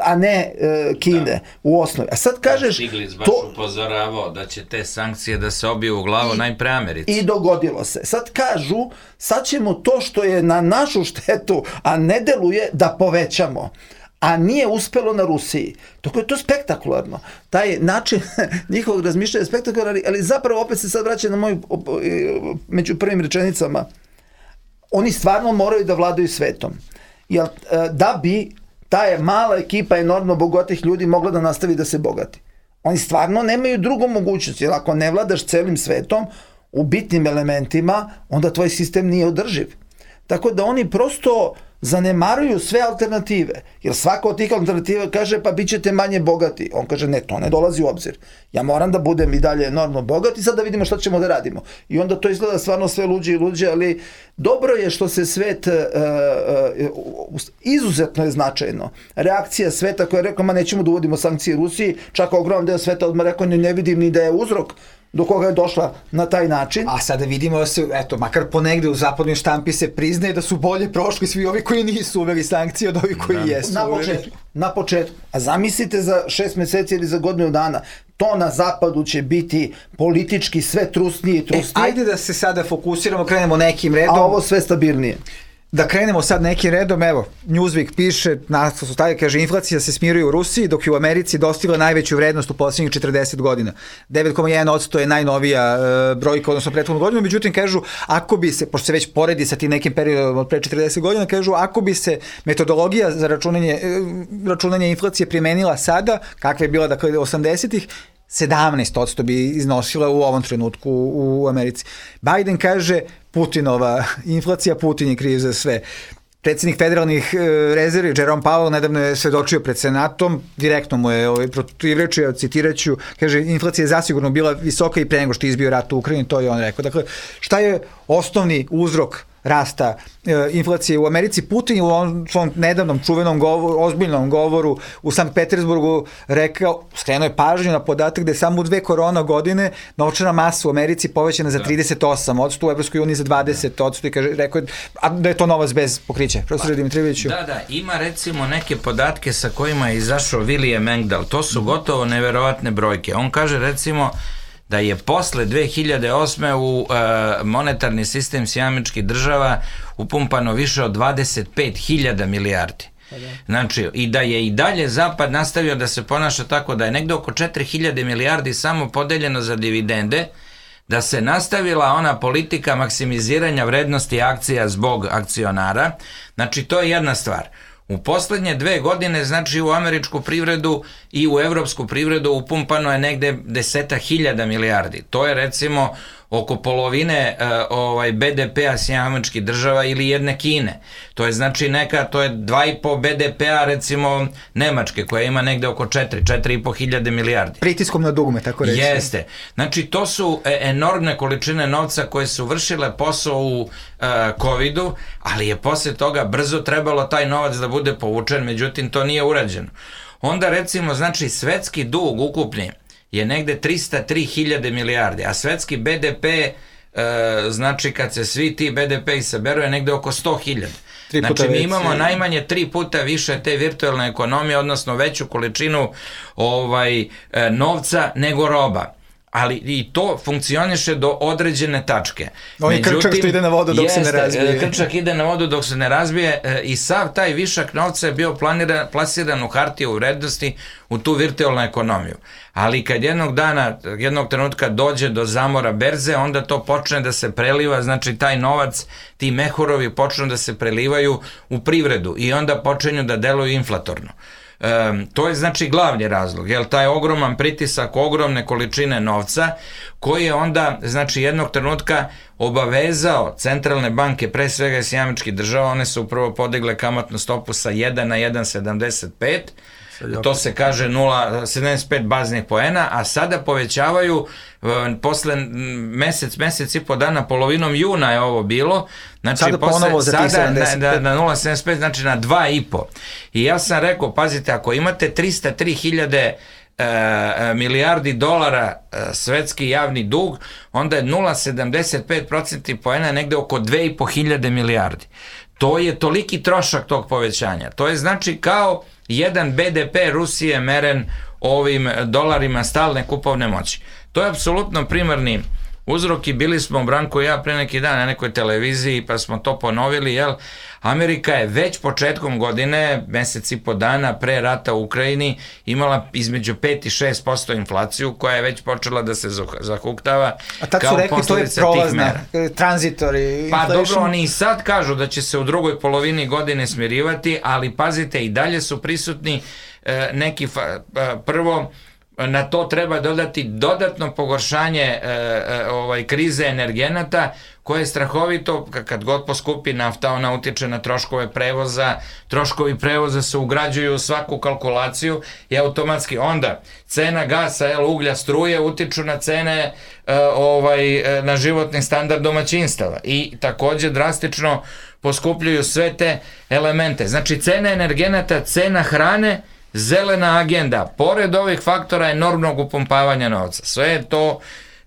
a ne Kine u osnovi. A sad kažeš... Stiglitz baš upozoravao da će te sankcije da se obiju u glavu najpre Americi. I dogodilo se. Sad kažu, sad ćemo to što je na našu štetu, a ne deluje, da povećamo. A nije uspelo na Rusiji. Tako je to spektakularno. Taj način njihovog razmišljanja je spektakularno, ali zapravo opet se sad vraća na moju među prvim rečenicama. Oni stvarno moraju da vladaju svetom. Jer da bi ta mala ekipa enormno bogatih ljudi mogla da nastavi da se bogati. Oni stvarno nemaju drugu mogućnost, jer ako ne vladaš celim svetom u bitnim elementima, onda tvoj sistem nije održiv. Tako da oni prosto zanemaruju sve alternative, jer svaka od tih alternativa kaže pa bit ćete manje bogati. On kaže ne, to ne dolazi u obzir. Ja moram da budem i dalje enormno bogat i sad da vidimo šta ćemo da radimo. I onda to izgleda stvarno sve luđe i luđe, ali dobro je što se svet, izuzetno je značajno. Reakcija sveta koja je rekla ma nećemo da uvodimo sankcije Rusiji, čak ogroman deo sveta odmah rekao ne vidim ni da je uzrok do koga je došla na taj način. A sada vidimo da se, eto, makar ponegde u zapadnoj štampi se priznaje da su bolje prošli svi ovi koji nisu uveli sankcije od ovih koji jesu. Na početku. A zamislite za 6 meseci ili za godinu dana, to na zapadu će biti politički sve trusnije i trusnije. Ajde da se sada fokusiramo, krenemo nekim redom. A ovo sve stabilnije. Da krenemo sad nekim redom, evo, Newsweek piše, naslov stavlja, kaže, inflacija se smiruje u Rusiji, dok je u Americi dostigla najveću vrednost u posljednjih 40 godina. 9,1% je najnovija brojka, odnosno prethodnu godinu, međutim, kažu, ako bi se, pošto se već poredi sa tim nekim periodom od pre 40 godina, kažu, ako bi se metodologija za računanje inflacije primenila sada, kakva je bila, dakle, 80-ih, 17% bi iznosila u ovom trenutku u Americi. Biden kaže, Putinova inflacija, Putin je kriv za sve. predsjednik federalnih rezervi Jerome Powell nedavno je svedočio pred Senatom, direktno mu je protivrečio, citiraću, kaže, inflacija je zasigurno bila visoka i pre nego što je izbio rat u Ukrajini, to je on rekao. Dakle, šta je osnovni uzrok rasta inflacije u Americi? Putin je u svom nedavnom čuvenom govoru, ozbiljnom govoru u Sankt Petersburgu rekao, skrenuo je pažnju na podatak da je samo u 2 korona godine novčana masa u Americi povećana za 38%, u Evropskoj uniji za 20%, i kaže, rekao je, a da je to novac bez pokrića. Profesor Dimitrijeviću. Da, ima recimo neke podatke sa kojima je izašao William Engdahl, to su gotovo neverovatne brojke. On kaže recimo da je posle 2008. u monetarni sistem Sjedinjenih Država upumpano više od 25.000 milijardi. Znači, i da je i dalje Zapad nastavio da se ponaša tako da je negde oko 4.000 milijardi samo podeljeno za dividende, da se nastavila ona politika maksimiziranja vrednosti akcija zbog akcionara. Znači, to je jedna stvar. U poslednje 2 godine, znači u američku privredu i u evropsku privredu upumpano je negde 10.000 milijardi. To je recimo oko polovine BDP-a Sjedinjenih Država ili jedne Kine. To je znači to je 2,5 BDP-a recimo Nemačke, koja ima negde oko 4,5 hiljade milijardi. Pritiskom na dugme, tako reći. Jeste. Znači to su enormne količine novca koje su vršile posao u COVID-u, ali je posle toga brzo trebalo taj novac da bude povučen, međutim to nije urađeno. Onda recimo znači svetski dug ukupni je negde 303.000 milijardi, a svetski BDP, znači kad se svi ti BDP-i saberu, je negde oko 100.000. Znači mi imamo najmanje 3 puta više te virtualne ekonomije, odnosno veću količinu novca nego roba. Ali i to funkcioniše do određene tačke. On je krčak što ide na vodu dok se ne razbije. Krčak ide na vodu dok se ne razbije i sav taj višak novca je bio plasiran u hartije u vrednosti u tu virtualnu ekonomiju. Ali kad jednog trenutka dođe do zamora berze, onda to počne da se preliva, znači taj novac, ti mehorovi počnu da se prelivaju u privredu i onda počinju da deluju inflatorno. To je znači glavni razlog, jer taj ogroman pritisak, ogromne količine novca koji je onda znači jednog trenutka obavezao centralne banke, pre svega Sjedinjenih Država, one su prvo podigle kamatnu stopu sa 1 na 1,75, to se kaže 0,75 baznih poena, a sada povećavaju posle mesec i po dana, polovinom juna je ovo bilo, znači sada ponovo za tih 75 na 0,75, znači na 2,5. I ja sam rekao, pazite, ako imate 303.000 milijardi dolara svetski javni dug, onda je 0,75% poena negde oko 2.500 milijardi. To je toliki trošak tog povećanja. To je znači kao jedan BDP Rusije meren ovim dolarima stalne kupovne moći. To je apsolutno primarni uzrok i bili smo, Branko i ja, pre neki dan na nekoj televiziji pa smo to ponovili, jel? Amerika je već početkom godine, mesec i po dana pre rata u Ukrajini, imala između 5 i 6% inflaciju koja je već počela da se zahuktava. A tad su rekli to je prolazna, transitori. Pa dobro, oni i sad kažu da će se u drugoj polovini godine smirivati, ali pazite, i dalje su prisutni neki, prvo, na to treba dodati dodatno pogoršanje krize energenata, koje je strahovito, kad god poskupi nafta, ona utiče na troškove prevoza, troškovi prevoza se ugrađuju u svaku kalkulaciju i automatski onda cena gasa, uglja, struje utiču na cene, na životni standard domaćinstava i takođe drastično poskupljuju sve te elemente. Znači cena energenata, cena hrane, zelena agenda, pored ovih faktora enormnog upumpavanja novca. Sve je to,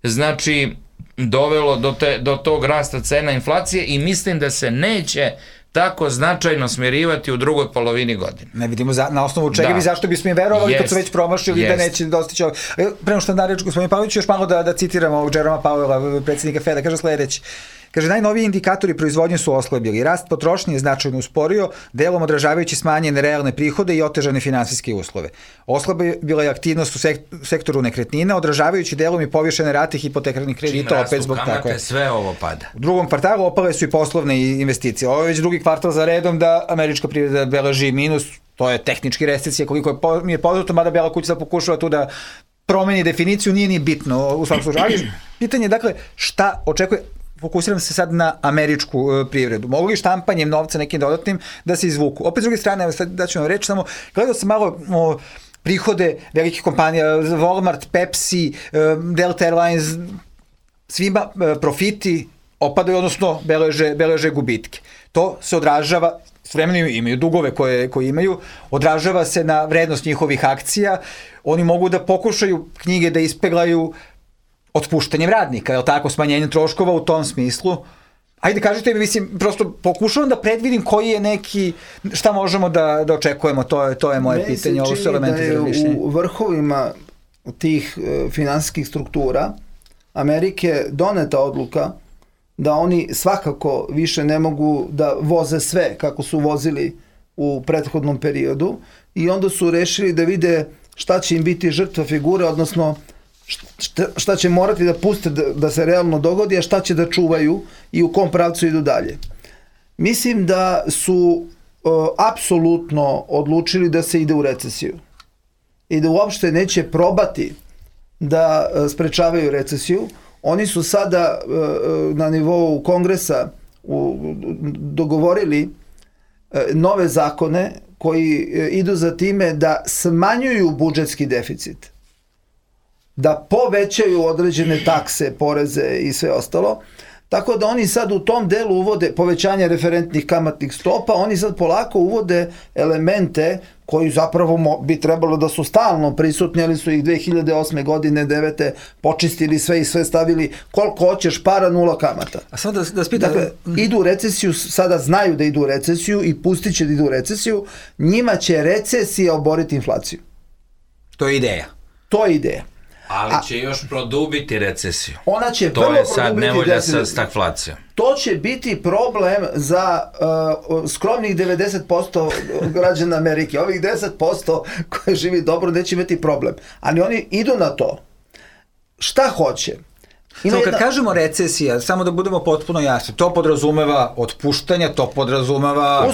znači, dovelo do tog rasta cena inflacije i mislim da se neće tako značajno smirivati u drugoj polovini godine. Ne vidimo na osnovu čega bi, zašto bismo im verovali kad su već promašili da neće dostići ovo. Prema što na reč, gospodin Pavlović, još malo da citiramo ovog Jeroma Powella, predsjednika Feda, kaže sledeći. Kaže, najnoviji indikatori proizvodnje su oslabili. Rast potrošnje je značajno usporio, delom odražavajući smanjene realne prihode i otežane finansijske uslove. Oslabila je aktivnost u sektoru nekretnina, odražavajući delom i povišene rate hipotekarnih kredita, opet zbog tako je. Sve ovo pada. U drugom kvartalu opale su i poslovne investicije. Ovo je već drugi kvartal za redom da američka privreda beleži minus, to je tehnički recesija, koliko mi je poznato, mada Bela kuća pokušava tu da promeni definiciju, nije ni bitno u svakom slučaju. Ali pitanje je, dakle, šta očekuje. fokusiram se sad na američku privredu. Mogu li štampanjem novca nekim dodatnim da se izvuku? Opet s druge strane, evo sad da ću vam reći, samo gledao sam malo prihode velikih kompanija, Walmart, Pepsi, Delta Airlines, svima profiti opadaju, odnosno beleže gubitke. To se odražava, s vremenom imaju dugove koje imaju, odražava se na vrednost njihovih akcija, oni mogu da pokušaju knjige da ispeglaju otpuštanjem radnika, je li tako, smanjenjem troškova u tom smislu. Ajde, kažite mi, mislim, prosto pokušavam da predvidim koji je neki, šta možemo da očekujemo, to je moje pitanje, ovo su elementi za razmišljanje. U vrhovima tih finansijskih struktura Amerike doneta odluka da oni svakako više ne mogu da voze sve kako su vozili u prethodnom periodu i onda su rešili da vide šta će im biti žrtva figure, odnosno šta će morati da puste da se realno dogodi, a šta će da čuvaju i u kom pravcu idu dalje. Mislim da su apsolutno odlučili da se ide u recesiju i da uopšte neće probati da sprečavaju recesiju. Oni su sada na nivou Kongresa dogovorili nove zakone koji idu za time da smanjuju budžetski deficit, da povećaju određene takse, poreze i sve ostalo, tako da oni sad u tom delu uvode povećanje referentnih kamatnih stopa, oni sad polako uvode elemente koji zapravo bi trebalo da su stalno prisutni, ali su ih 2008. godine, 2009. počistili sve i sve stavili koliko hoćeš para, 0 kamata. A samo da spitam... Dakle, idu u recesiju, sada znaju da idu u recesiju i pustit će da idu u recesiju, njima će recesija oboriti inflaciju. To je ideja. To je ideja. Ali će još produbiti recesiju. Ona će to je sad nevolja sa stagflacijom. To će biti problem za skromnih 90% građana Amerike. Ovih 10% koji živi dobro neće imati problem. Ali oni idu na to. Šta hoće? Kad kažemo recesija, samo da budemo potpuno jasni, to podrazumeva otpuštanja, to podrazumeva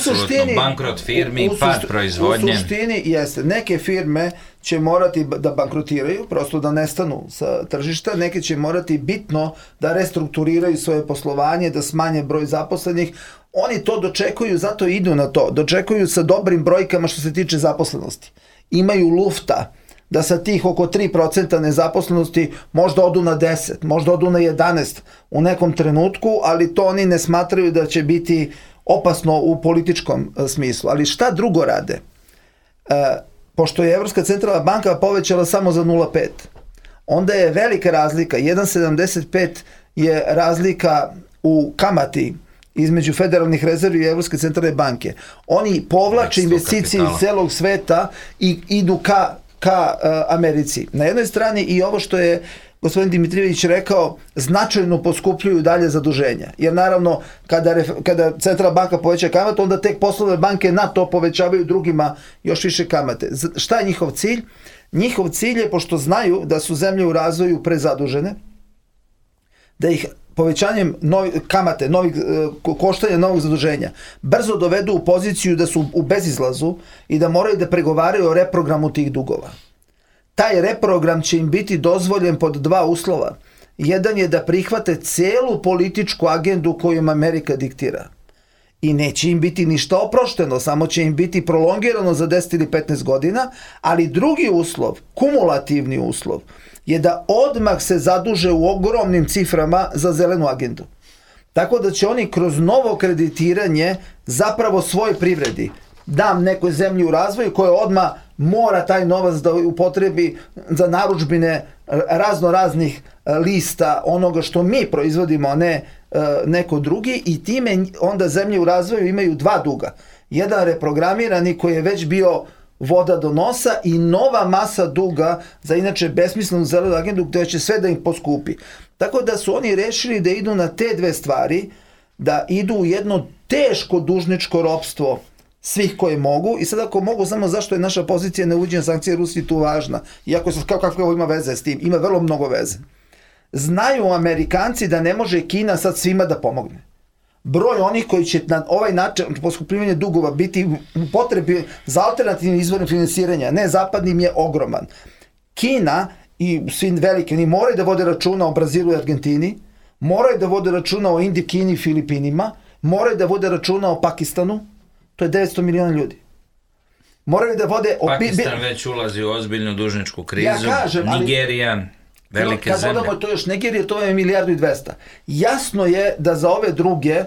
bankrot firmi, pad proizvodnje. U suštini jeste, neke firme će morati da bankrotiraju, prosto da nestanu sa tržišta, neke će morati bitno da restrukturiraju svoje poslovanje, da smanje broj zaposlenih. Oni to dočekuju, zato idu na to, dočekuju sa dobrim brojkama što se tiče zaposlenosti. Imaju lufta da sa tih oko 3% nezaposlenosti možda odu na 10, možda odu na 11 u nekom trenutku, ali to oni ne smatraju da će biti opasno u političkom smislu. Ali šta drugo rade? Pošto je Evropska centralna banka povećala samo za 0,5, onda je velika razlika, 1,75 je razlika u kamati između federalnih rezervi i Evropske centralne banke. Oni povlače investicije iz celog sveta i idu ka Americi. Na jednoj strani i ovo što je gospodin Dimitrijević rekao, značajno poskupljuju dalje zaduženja. Jer naravno, kada centralna banka poveća kamatu, onda tek poslovne banke na to povećavaju drugima još više kamate. Šta je njihov cilj? Njihov cilj je, pošto znaju da su zemlje u razvoju prezadužene, da ih povećanjem kamate, koštanja novog zaduženja, brzo dovedu u poziciju da su u bezizlazu i da moraju da pregovaraju o reprogramu tih dugova. Taj reprogram će im biti dozvoljen pod 2 uslova. Jedan je da prihvate celu političku agendu koju im Amerika diktira. I neće im biti ništa oprošteno, samo će im biti prolongirano za 10 ili 15 godina, ali drugi uslov, kumulativni uslov, je da odmah se zaduže u ogromnim ciframa za zelenu agendu. Tako da će oni kroz novo kreditiranje zapravo svoj privredi, dam nekoj zemlji u razvoju koja odmah mora taj novac da upotrebi za narudžbine razno raznih lista onoga što mi proizvodimo, a ne neko drugi, i time onda zemlje u razvoju imaju 2 duga. Jedan reprogramirani koji je već bio voda do nosa i nova masa duga za inače besmislenu zelenu agendu gdje će sve da im poskupi. Tako da su oni rešili da idu na te 2 stvari, da idu u jedno teško dužničko ropstvo svih koje mogu. I sad ako mogu, samo zašto je naša pozicija neuvođenja sankcije Rusiji tu važna, iako sad kako ima veze s tim, ima vrlo mnogo veze. Znaju Amerikanci da ne može Kina sad svima da pomogne. Broj onih koji će na ovaj način poskupljivanje dugova biti u potrebi za alternativnim izvorom finansiranja, ne zapadnim, je ogroman. Kina i svi veliki, oni moraju da vode računa o Brazilu i Argentini, moraju da vode računa o Indiji, Kini i Filipinima, moraju da vode računa o Pakistanu, to je 900 miliona ljudi. Moraju da vode... Pakistan već ulazi u ozbiljnu dužničku krizu, Nigerija, velike zemlje. Kad dodamo to još Nigerije, to je 1,2 milijarde. Jasno je da za ove druge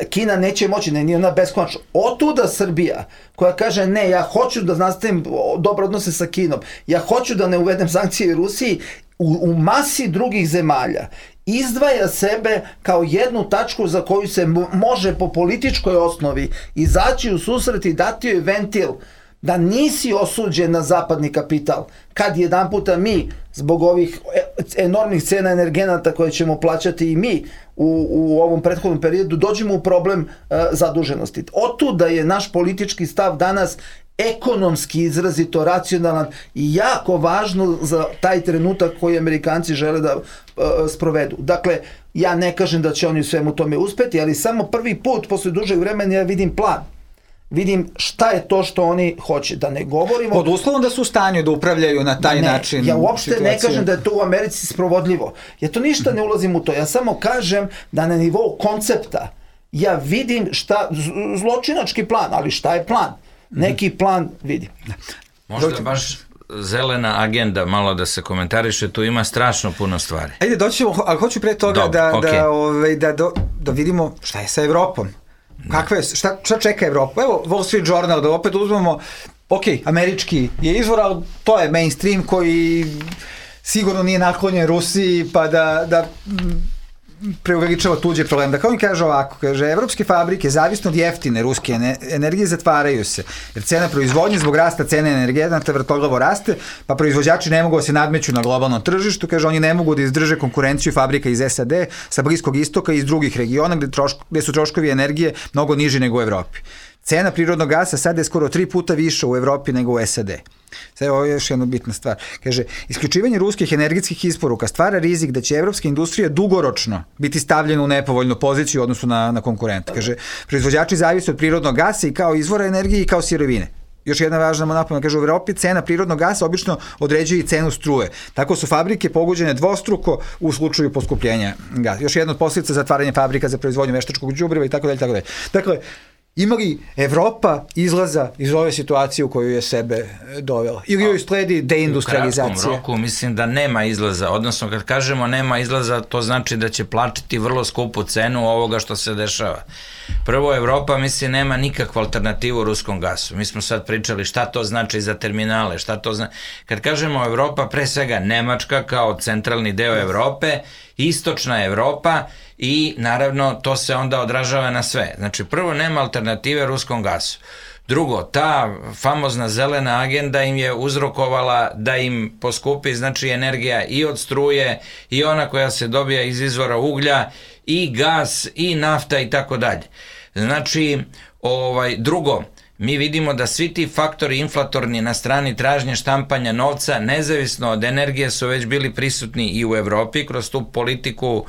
Kina neće moći, nije ona beskonačno. Otuda Srbija, koja kaže ne, ja hoću da nastavim dobre odnose sa Kinom, ja hoću da ne uvedem sankcije Rusiji, u masi drugih zemalja izdvaja sebe kao jednu tačku za koju se može po političkoj osnovi izaći u susret i dati joj ventil da nisi osuđen na zapadni kapital, kad jedan puta mi, zbog ovih enormnih cena energenata koje ćemo plaćati i mi u ovom prethodnom periodu, dođemo u problem zaduženosti. Otuda je naš politički stav danas ekonomski izrazito racionalan i jako važno za taj trenutak koji Amerikanci žele da sprovedu. Dakle, ja ne kažem da će oni u svemu tome uspeti, ali samo prvi put posle dužeg vremena ja vidim plan. Vidim šta je to što oni hoće, da ne govorimo... Pod uslovom da su u stanju da upravljaju na taj način. Ja uopšte ne kažem da je to u Americi sprovodljivo. Ja to ništa ne ulazim u to. Ja samo kažem da na nivou koncepta ja vidim šta, zločinački plan, ali šta je plan? Neki plan vidim. Možda baš zelena agenda, malo da se komentariše, tu ima strašno puno stvari. Ajde, doćemo, ali hoću pre toga da vidimo šta je sa Evropom. Kakva je, šta čeka Evropa? Evo, Wall Street Journal, da opet uzmemo, američki je izvor, ali to je mainstream koji sigurno nije naklonjen Rusiji, pa da preuveličava tuđe probleme. Dakle, on kaže ovako, evropske fabrike, zavisno od jeftine ruske energije, zatvaraju se, jer cena proizvodnje zbog rasta cene energenata vrtoglavo raste, pa proizvođači ne mogu da se nadmeću na globalnom tržištu, oni ne mogu da izdrže konkurenciju fabrika iz SAD, sa Bliskog istoka i iz drugih regiona gde su troškovi energije mnogo niži nego u Evropi. Cena prirodnog gasa sada je skoro 3 puta više u Evropi nego u SAD. Sve ovo je još jedna bitna stvar. Kaže, isključivanje ruskih energetskih isporuka stvara rizik da će evropska industrija dugoročno biti stavljena u nepovoljnu poziciju u odnosu na konkurenta. Kaže, proizvođači zavise od prirodnog gasa i kao izvora energije i kao sirovine. Još jedna važna napomena, kaže, u Evropi cena prirodnog gasa obično određuje i cenu struje. Tako su fabrike pogođene dvostruko u slučaju poskupljenja gasa. Još jedna od posljedica zatvaranja fabrika za proizvodnju veštačkog đubriva i tako dalje. Dakle, ima li Evropa izlaza iz ove situacije u koju je sebe dovela? Ili joj sledi deindustrializacija? U kratkom roku mislim da nema izlaza. Odnosno, kad kažemo nema izlaza, to znači da će plaćati vrlo skupu cenu ovoga što se dešava. Prvo, Evropa, mislim, nema nikakvu alternativu ruskom gasu. Mi smo sad pričali šta to znači za terminale, šta to znači. Kad kažemo Evropa, pre svega Nemačka kao centralni deo Evrope, istočna Evropa i naravno to se onda odražava na sve. Znači, prvo, nema alternative ruskom gasu. Drugo, ta famozna zelena agenda im je uzrokovala da im poskupi, znači, energija i od struje i ona koja se dobija iz izvora uglja i gas i nafta i tako dalje. Znači, drugo, mi vidimo da svi ti faktori inflatorni na strani tražnje štampanja novca, nezavisno od energije, su već bili prisutni i u Evropi kroz tu politiku,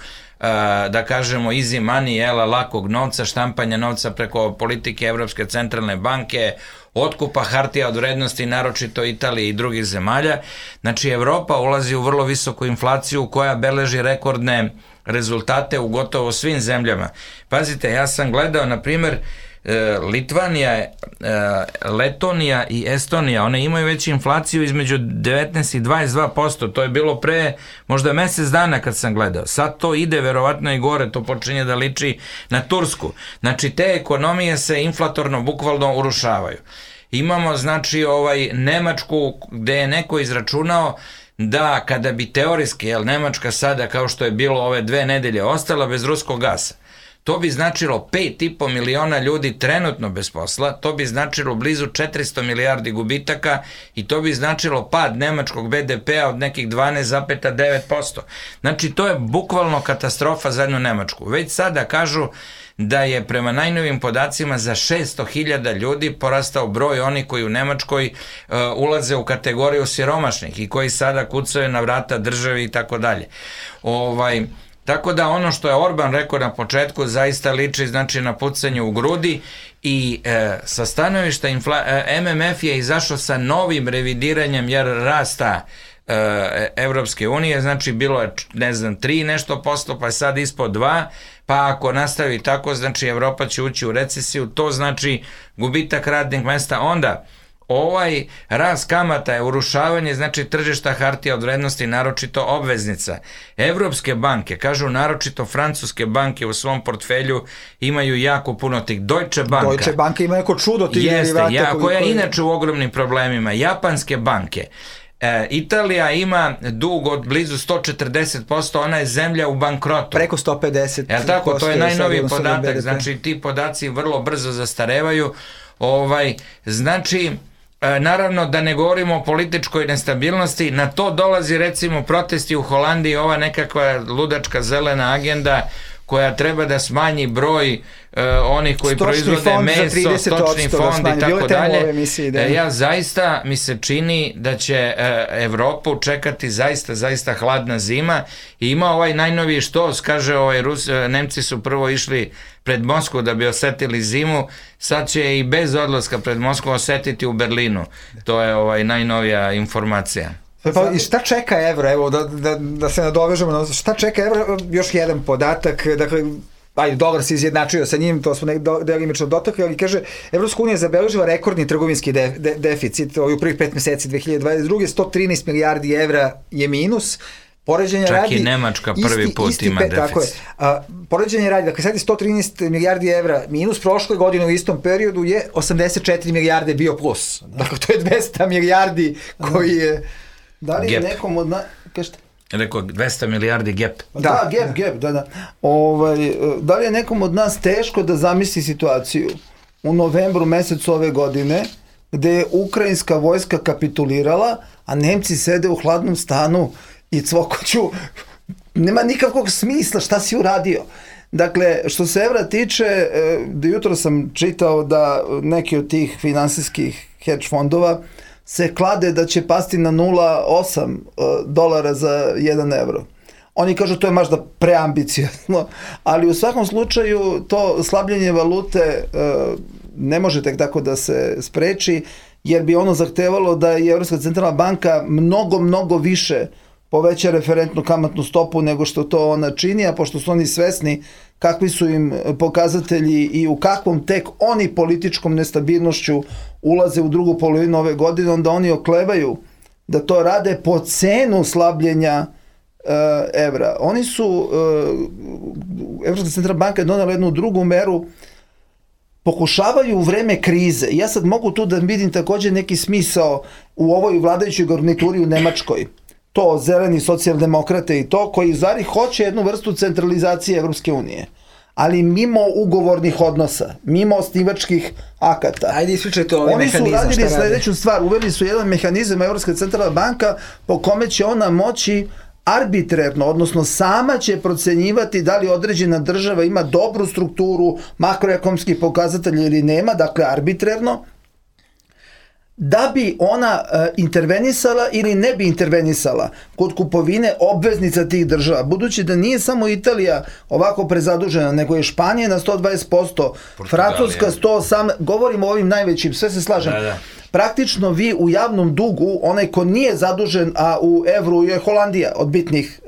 da kažemo, easy money, lakog novca, štampanja novca preko politike Evropske centralne banke, otkupa hartija od vrednosti, naročito Italije i drugih zemalja. Znači, Evropa ulazi u vrlo visoku inflaciju koja beleži rekordne rezultate u gotovo svim zemljama. Pazite, ja sam gledao, na primjer, Litvanija, Letonija i Estonija, one imaju već inflaciju između 19 i 22%, to je bilo pre možda mesec dana kad sam gledao. Sad to ide verovatno i gore, to počinje da liči na Tursku. Znači, te ekonomije se inflatorno bukvalno urušavaju. Imamo, znači, Nemačku gde je neko izračunao da kada bi teorijski, Nemačka sada, kao što je bilo ove 2 nedelje, ostala bez ruskog gasa, to bi značilo 5,5 miliona ljudi trenutno bez posla, to bi značilo blizu 400 milijardi gubitaka i to bi značilo pad nemačkog BDP-a od nekih 12,9%. Znači, to je bukvalno katastrofa za jednu Nemačku. Već sada kažu da je prema najnovim podacima za 600.000 ljudi porastao broj onih koji u Nemačkoj ulaze u kategoriju siromašnih i koji sada kucaju na vrata državi i tako dalje. Tako da ono što je Orban rekao na početku zaista liči, znači, na pucanje u grudi i sa stanovišta MMF je izašao sa novim revidiranjem rasta Evropske unije, znači bilo je, ne znam, 3 nešto posto, pa je sad ispod 2, pa ako nastavi tako, znači Evropa će ući u recesiju, to znači gubitak radnih mesta, onda ovaj rast kamata je urušavanje, znači tržišta hartija od vrednosti, naročito obveznica. Evropske banke, kažu naročito francuske banke u svom portfelju imaju jako puno tih. Deutsche Banka ima neko čudo tih derivata. Koja je inače u ogromnim problemima. Japanske banke. Italija ima dug od blizu 140%, ona je zemlja u bankrotu. Preko 150%. Jel tako, to je najnoviji podatak, znači ti podaci vrlo brzo zastarevaju. Znači, naravno da ne govorimo o političkoj nestabilnosti, na to dolazi recimo protesti u Holandiji, ova nekakva ludačka zelena agenda koja treba da smanji broj onih koji proizvode meso, stočni fond i tako dalje. Ja zaista mi se čini da će Evropu čekati zaista hladna zima i ima ovaj najnoviji štos, kaže Nemci su prvo išli pred Moskvu da bi osetili zimu, sad će i bez odlaska pred Moskvu osetiti u Berlinu. To je najnovija informacija. I šta čeka evro, evo da se nadovežemo, šta čeka evro, još jedan podatak, dakle, dolar se izjednačio sa njim, to smo delimično dotakli, ali kaže, Evropska unija zabeležila rekordni trgovinski deficit u prvih 5 meseci 2022. 113 milijardi evra je minus, čak i Nemačka prvi put ima deficit. Tako je. Poređenje radi, dakle sad je 113 milijardi evra minus, prošle godine u istom periodu je 84 milijarde bio plus. Dakle, to je 200 milijardi koji je... Da li je nekom od nas... Rekao 200 milijardi gap. Da, gap, da. Da li je nekom od nas teško da zamisli situaciju u novembru mesecu ove godine gde je ukrajinska vojska kapitulirala, a Nemci sede u hladnom stanu i cvokoću, nema nikakvog smisla šta si uradio. Dakle, što se evra tiče, jutro sam čitao da neki od tih finansijskih hedge fondova se klade da će pasti na 0,8 dolara za 1 evro. Oni kažu to je možda preambiciozno, ali u svakom slučaju to slabljenje valute ne može tek tako da se spreči, jer bi ono zahtevalo da je Evropska centralna banka mnogo više poveća referentnu kamatnu stopu nego što to ona čini, a pošto su oni svesni kakvi su im pokazatelji i u kakvom tek oni političkom nestabilnošću ulaze u drugu polovinu ove godine, onda oni oklevaju da to rade po cenu slabljenja evra. Oni su, Evropska centralna banka je donela jednu drugu meru, pokušavaju u vreme krize, ja sad mogu tu da vidim također neki smisao u ovoj vladajućoj garnituri u Nemačkoj, to zeleni socijaldemokrate i to, koji zari hoće jednu vrstu centralizacije Evropske unije, ali mimo ugovornih odnosa, mimo osnivačkih akata. Ajde, ispričajte ovaj mehanizam. Oni su radili sledeću stvar, uveli su jedan mehanizam Evropska centralna banka po kome će ona moći arbitrarno, odnosno sama će procenjivati da li određena država ima dobru strukturu makroekonomskih pokazatelja ili nema, dakle arbitrarno, da bi ona intervenisala ili ne bi intervenisala kod kupovine obveznica tih država. Budući da nije samo Italija ovako prezadužena, nego je Španija na 120%, Francuska 108%, govorimo o ovim najvećim, sve se slažem. Da. Praktično vi u javnom dugu, onaj ko nije zadužen, a u evru je Holandija od bitnih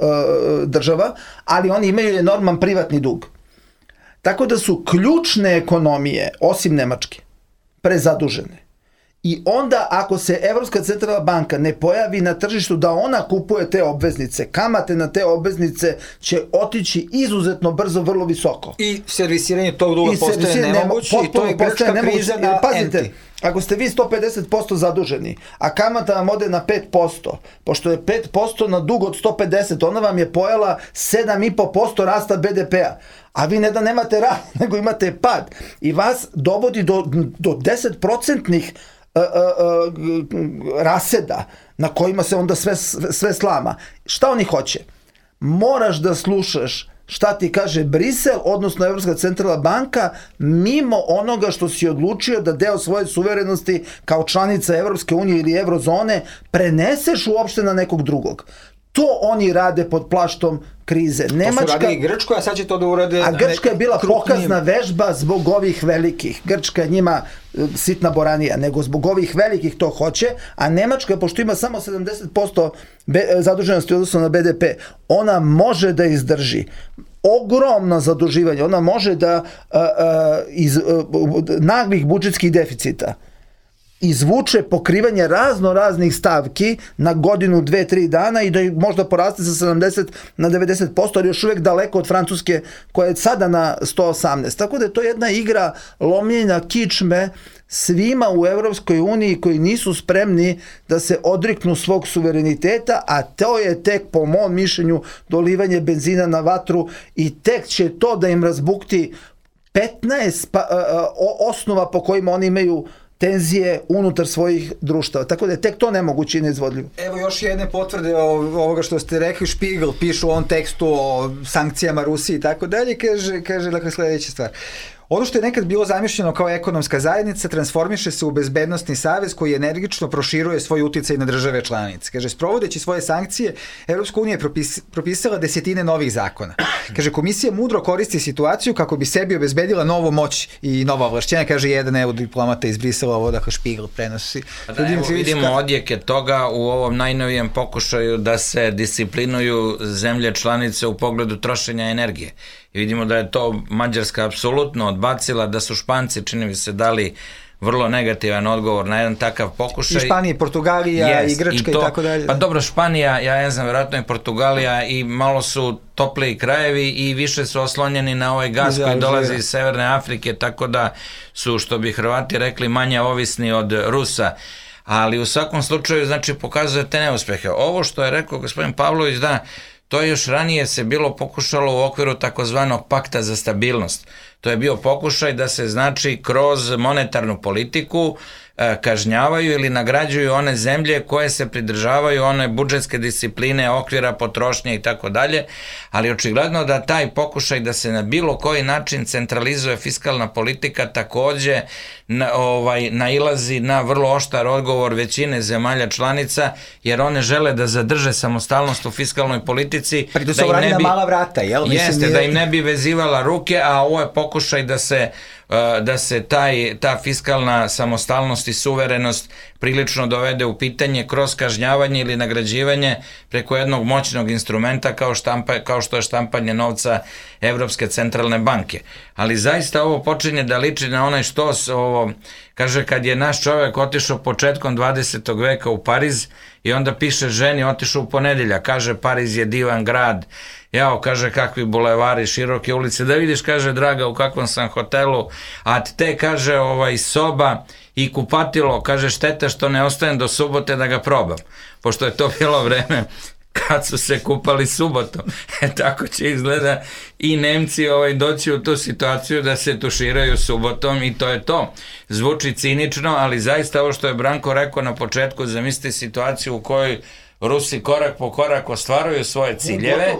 država, ali oni imaju enorman privatni dug. Tako da su ključne ekonomije, osim Nemačke, prezadužene. I onda ako se Evropska centralna banka ne pojavi na tržištu da ona kupuje te obveznice, kamate na te obveznice će otići izuzetno brzo, vrlo visoko. I servisiranje tog duga postaje nemoguće i to je grčka kriza na pazite, ako ste vi 150% zaduženi, a kamata vam ode na 5%, pošto je 5% na dug od 150, ona vam je pojela 7,5% rasta BDP-a. A vi ne da nemate rast, nego imate pad. I vas dovodi do 10% raseda na kojima se onda sve slama. Šta oni hoće? Moraš da slušaš šta ti kaže Brisel, odnosno Evropska centralna banka, mimo onoga što si odlučio da deo svoje suverenosti kao članica Evropske unije ili Eurozone preneseš uopšte na nekog drugog. To oni rade pod plaštom krize. Nemačka, to su radili Grčko, a sad će to da urade... A Grčka je bila pokazna vežba zbog ovih velikih. Grčka je njima sitna boranija, nego zbog ovih velikih to hoće, a Nemačka, pošto ima samo 70% zaduženosti odnosno na BDP, ona može da izdrži ogromno zaduživanje, ona može da iz naglih budžetskih deficita izvuče pokrivanje raznih stavki na godinu, 2-3 dana i da možda poraste sa 70 na 90%, ali još uvijek daleko od Francuske koja je sada na 118. Tako da je to jedna igra lomljenja kičme svima u Evropskoj uniji koji nisu spremni da se odriknu svog suvereniteta, a to je tek po mom mišljenju dolivanje benzina na vatru i tek će to da im razbukti 15 osnova po kojima oni imaju tenzije unutar svojih društava. Tako da je tek to nemoguće i neizvodljivo. Evo još jedne potvrde ovoga što ste rekli. Špigl piše u ovom tekstu o sankcijama Rusiji i tako dalje. Kaže dakle sljedeća stvar. Ono što je nekad bilo zamišljeno kao ekonomska zajednica transformiše se u bezbednostni savez koji energično proširuje svoj uticaj na države članice. Kaže, sprovodeći svoje sankcije, Evropska unija je propisala desetine novih zakona. Kaže, komisija mudro koristi situaciju kako bi sebi obezbedila novu moć i nova ovlašćenja. Kaže, jedan eurodiplomata iz Brisela, ovo dakle Špigl prenosi. Vidimo odjeke toga u ovom najnovijem pokušaju da se disciplinuju zemlje članice u pogledu trošenja energije. I vidimo da je to Mađarska apsolutno odbacila, da su Španci, čini mi se, dali vrlo negativan odgovor na jedan takav pokušaj. I Španija, Portugalija i Grčka i tako dalje. Pa dobro, Španija, ja ne znam, vjerojatno i Portugalija i malo su topliji krajevi i više su oslonjeni na ovaj gas koji dolazi iz Severne Afrike, tako da su, što bi Hrvati rekli, manje ovisni od Rusa. Ali u svakom slučaju, znači, pokazuje te neuspehe. Ovo što je rekao gospodin Pavlović, da, to je još ranije se bilo pokušalo u okviru takozvanog pakta za stabilnost. To je bio pokušaj da se, znači, kroz monetarnu politiku kažnjavaju ili nagrađuju one zemlje koje se pridržavaju one budžetske discipline, okvira potrošnje i tako dalje, ali očigledno da taj pokušaj da se na bilo koji način centralizuje fiskalna politika takođe nailazi na vrlo oštar odgovor većine zemalja članica, jer one žele da zadrže samostalnost u fiskalnoj politici. To se radi na mala vrata, jel? Jeste, da im ne bi vezivala ruke, a ovo je pokušaj da se ta fiskalna samostalnost i suverenost prilično dovede u pitanje kroz kažnjavanje ili nagrađivanje preko jednog moćnog instrumenta kao što je štampanje novca Evropske centralne banke. Ali zaista ovo počinje da liči na onaj kaže, kad je naš čovjek otišao početkom 20. veka u Pariz i onda piše ženi, otišao u ponedeljak, kaže, Pariz je divan grad, jao, kaže, kakvi bulevari, široke ulice, da vidiš, kaže, draga, u kakvom sam hotelu, a te, kaže, soba i kupatilo, kaže, šteta što ne ostajem do subote da ga probam, pošto je to bilo vreme kad su se kupali subotom. Tako će izgleda i Nemci doći u tu situaciju da se tuširaju subotom i to je to. Zvuči cinično, ali zaista ovo što je Branko rekao na početku, zamislite situaciju u kojoj Rusi korak po korak ostvaruju svoje ciljeve,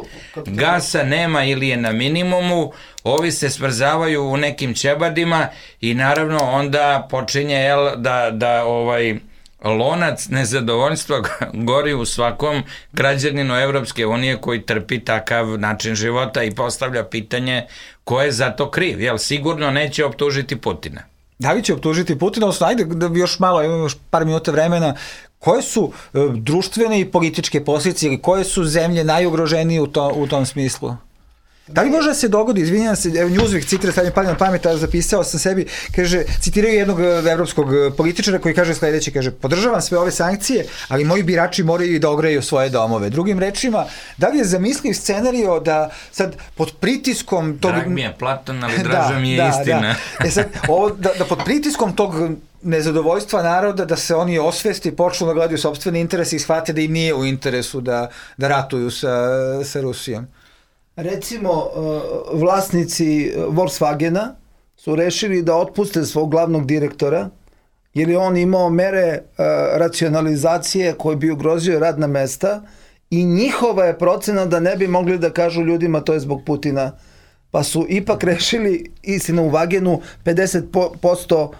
gasa nema ili je na minimumu, ovi se smrzavaju u nekim ćebadima i naravno onda počinje da lonac nezadovoljstva gori u svakom građaninu Evropske unije koji trpi takav način života i postavlja pitanje ko je za to kriv, jer sigurno neće optužiti Putina. Da li će optužiti Putina, odnosno ajde da još malo, imamo još par minuta vremena, koje su društvene i političke posljedice ili koje su zemlje najugroženije u tom smislu? Da li može da se dogodi, izvinjam se, Newsweek citira, sad mi pali na pamet, a zapisao sam sebi, kaže, citiraju jednog evropskog političara koji kaže sledeće, kaže, podržavam sve ove sankcije, ali moji birači moraju i da ogreju svoje domove. Drugim rečima, da li je zamisliv scenario da sad pod pritiskom tog... Drag mi je Platon, ali draža mi je istina. Sad, da pod pritiskom tog nezadovoljstva naroda, da se oni osvesti i počnu da gledaju sopstvene interese i shvate da im nije u interesu da ratuju sa Rusijom. Recimo, vlasnici Volkswagena su rešili da otpuste svog glavnog direktora, jer je on imao mere racionalizacije koje bi ugrozio radna mesta i njihova je procena da ne bi mogli da kažu ljudima to je zbog Putina. Pa su ipak rešili, istina u Wagenu, 50%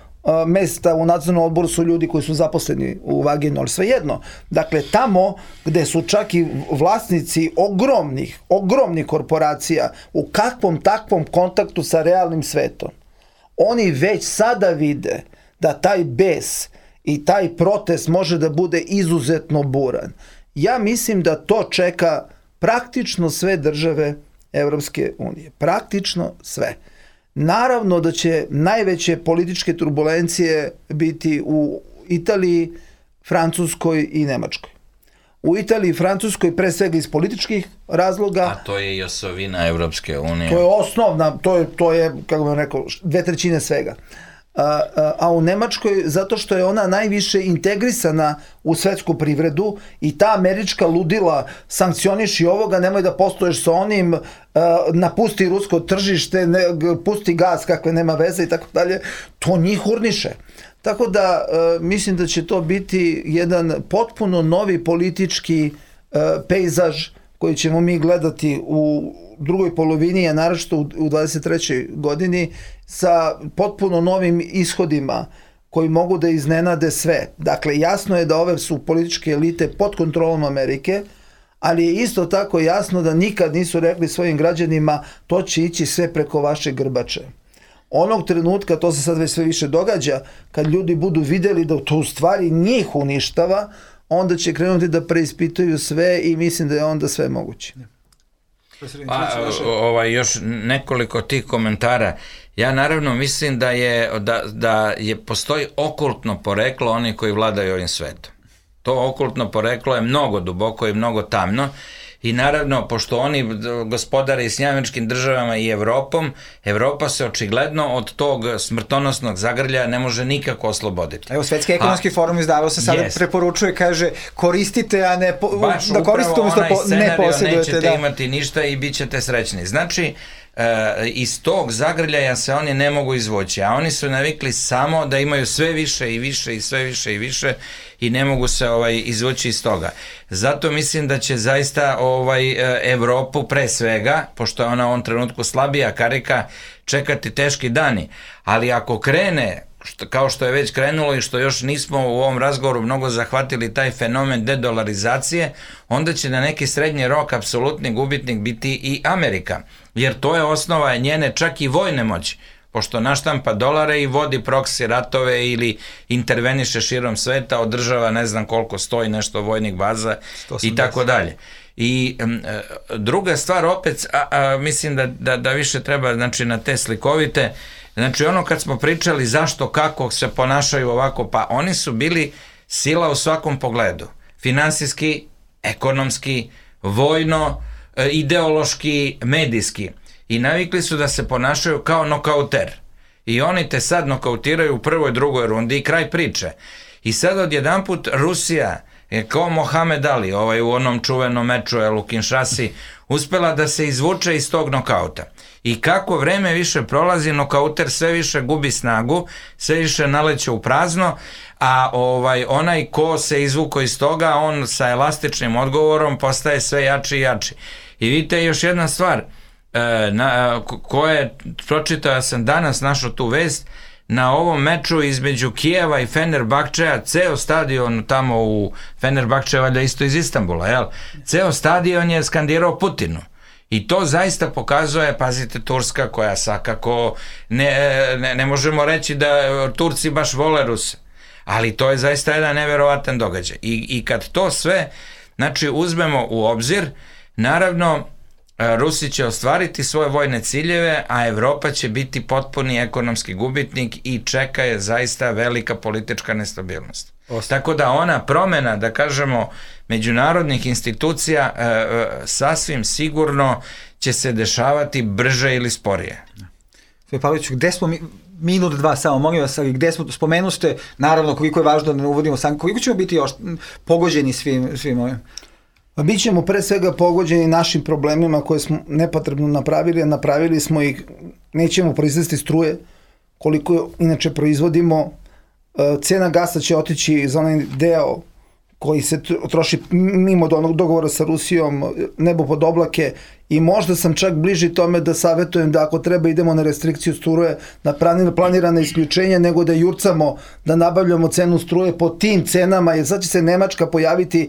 mesta u nadzornom odboru su ljudi koji su zaposleni u Wagenu, ali svejedno. Dakle, tamo gde su čak i vlasnici ogromnih korporacija u kakvom takvom kontaktu sa realnim svetom, oni već sada vide da taj bes i taj protest može da bude izuzetno buran. Ja mislim da to čeka praktično sve države Evropske unije. Praktično sve. Naravno da će najveće političke turbulencije biti u Italiji, Francuskoj i Nemačkoj. U Italiji i Francuskoj pre svega iz političkih razloga. A to je i osovina Evropske unije. To je osnovna, to je kako bih rekao, 2/3 svega. A u Nemačkoj zato što je ona najviše integrisana u svetsku privredu i ta američka ludila sankcioniši ovoga, nemoj da posluješ sa onim, napusti rusko tržište, pusti gas kakve nema veze i tako dalje, to njih urniše. Tako da mislim da će to biti jedan potpuno novi politički pejzaž koji ćemo mi gledati u drugoj polovini, a naročito u 23. godini, sa potpuno novim ishodima koji mogu da iznenade sve. Dakle, jasno je da ove su političke elite pod kontrolom Amerike, ali je isto tako jasno da nikad nisu rekli svojim građanima to će ići sve preko vaše grbače. Onog trenutka, to se sad već sve više događa, kad ljudi budu videli da to u stvari njih uništava, onda će krenuti da preispituju sve i mislim da je onda sve moguće. Još nekoliko tih komentara. Ja naravno mislim da postoji okultno poreklo onih koji vladaju ovim svetom. To okultno poreklo je mnogo duboko i mnogo tamno. I naravno, pošto oni gospodare i s Američkim državama i Evropom, Evropa se očigledno od tog smrtonosnog zagrljaja ne može nikako osloboditi. Evo, Svetski ekonomski forum izdavao se sada preporučuje, kaže, koristite, a ne da koristite umjesto ne posjedujete. Nećete imati ništa i bit ćete srećni. Znači, iz tog zagrljaja se oni ne mogu izvući, a oni su navikli samo da imaju sve više i više i sve više i više i ne mogu se izvući iz toga. Zato mislim da će zaista Evropu pre svega, pošto je ona u ovom trenutku slabija karika, čekati teški dani. Ali ako krene, kao što je već krenulo i što još nismo u ovom razgovoru mnogo zahvatili taj fenomen dedolarizacije, onda će na neki srednji rok apsolutni gubitnik biti i Amerika. Jer to je osnova njene čak i vojne moći. Pošto naštampa dolare i vodi proksi ratove ili interveniše širom sveta, održava ne znam koliko stoji nešto vojnih baza i tako dalje. I druga stvar opet, mislim da više treba, znači, na te slikovite, znači ono kad smo pričali zašto, kako se ponašaju ovako, pa oni su bili sila u svakom pogledu. Finansijski, ekonomski, vojno, ideološki, medijski. I navikli su da se ponašaju kao nokauter. I oni te sad nokautiraju u prvoj, drugoj rundi i kraj priče. I sad odjedanput Rusija je kao Mohamed Ali, u onom čuvenom meču u Kinshasi, uspela da se izvuče iz tog nokauta. I kako vreme više prolazi, nokauter sve više gubi snagu, sve više naleće u prazno, a onaj ko se izvuko iz toga, on sa elastičnim odgovorom postaje sve jači i jači. I vidite još jedna stvar, koje pročitao sam danas, našao tu vest, na ovom meču između Kijeva i Fenerbahčeja, ceo stadion tamo u Fenerbahče, valjda isto iz Istanbula, jel? Ceo stadion je skandirao Putinu. I to zaista pokazuje, pazite, Turska koja svakako, ne možemo reći da Turci baš vole Ruse, ali to je zaista jedan neverovatan događaj. I kad to sve, znači, uzmemo u obzir, naravno, Rusi će ostvariti svoje vojne ciljeve, a Evropa će biti potpuni ekonomski gubitnik i čeka je zaista velika politička nestabilnost. Tako da ona promena, da kažemo, međunarodnih institucija sasvim sigurno će se dešavati brže ili sporije. Sve Pavliću, gde smo minut, dva samo, molim vas, gde smo, spomenuste, naravno, koliko je važno da ne uvodimo sankcije, koliko ćemo biti još pogođeni svim ovim? Mi ćemo pre svega pogođeni našim problemima koje smo nepotrebno napravili, a napravili smo ih, nećemo proizvesti struje, koliko inače proizvodimo, cena gasa će otići za onaj deo koji se troši mimo onog dogovora sa Rusijom, nebo pod oblake, i možda sam čak bliži tome da savjetujem da ako treba idemo na restrikciju struje, na planirane isključenja, nego da jurcamo, da nabavljamo cenu struje po tim cenama, jer sad će se Nemačka pojaviti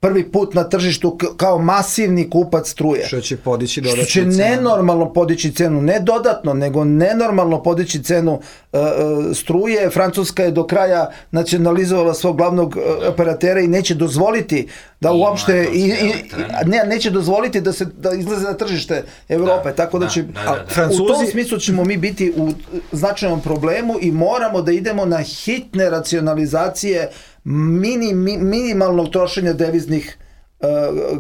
prvi put na tržištu kao masivni kupac struje. Što će podići dodatnu cenu. Što će nenormalno podići cenu, ne dodatno, nego nenormalno podići cenu struje. Francuska je do kraja nacionalizovala svog glavnog operatera i neće dozvoliti da uopšte neće dozvoliti da izlaze na tržište Evrope, tako da će u tom smislu ćemo mi biti u značajnom problemu i moramo da idemo na hitne racionalizacije minimalnog trošenja deviznih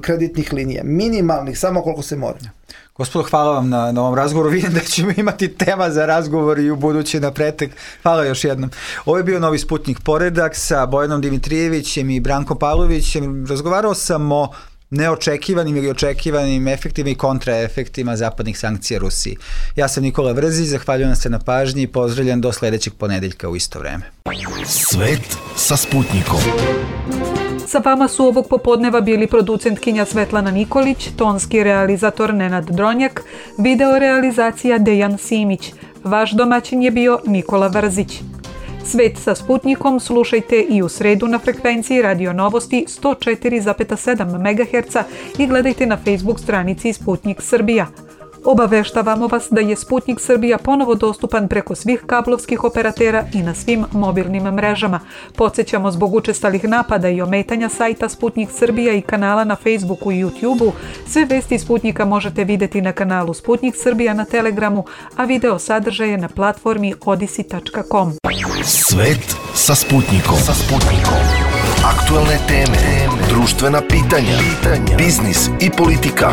kreditnih linija. Minimalnih, samo koliko se mora. Gospodo, hvala vam na ovom razgovoru. Vidim da ćemo imati tema za razgovor i u budući na pretek. Hvala još jednom. Ovo je bio Novi Sputnik Poredak sa Bojanom Dimitrijevićem i Brankom Pavlovićem. Razgovarao sam o neočekivanim ili očekivanim efektima i kontraefektima zapadnih sankcija Rusiji. Ja sam Nikola Vrzić, zahvaljujem se na pažnji i pozdravljam do sledećeg ponedeljka u isto vreme. Svet sa Sputnikom. Sa vama su ovog popodneva bili producentkinja Svetlana Nikolić, tonski realizator Nenad Dronjak, video realizacija Dejan Simić. Vaš domaćin je bio Nikola Vrzić. Svet sa Sputnikom slušajte i u sredu na frekvenciji Radio Novosti 104,7 MHz i gledajte na Facebook stranici Sputnik Srbija. Obaveštavamo vas da je Sputnik Srbija ponovo dostupan preko svih kablovskih operatera i na svim mobilnim mrežama. Podsjećamo, zbog učestalih napada i ometanja sajta Sputnik Srbija i kanala na Facebooku i YouTubeu, sve vesti Sputnika možete vidjeti na kanalu Sputnik Srbija na Telegramu, a video sadržaje na platformi odisi.com. Svet sa Sputnikom. Aktualne teme, društvena pitanja, biznis i politika.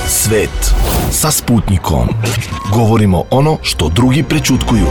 Svet sa Sputnikom. Govorimo ono što drugi prećutkuju.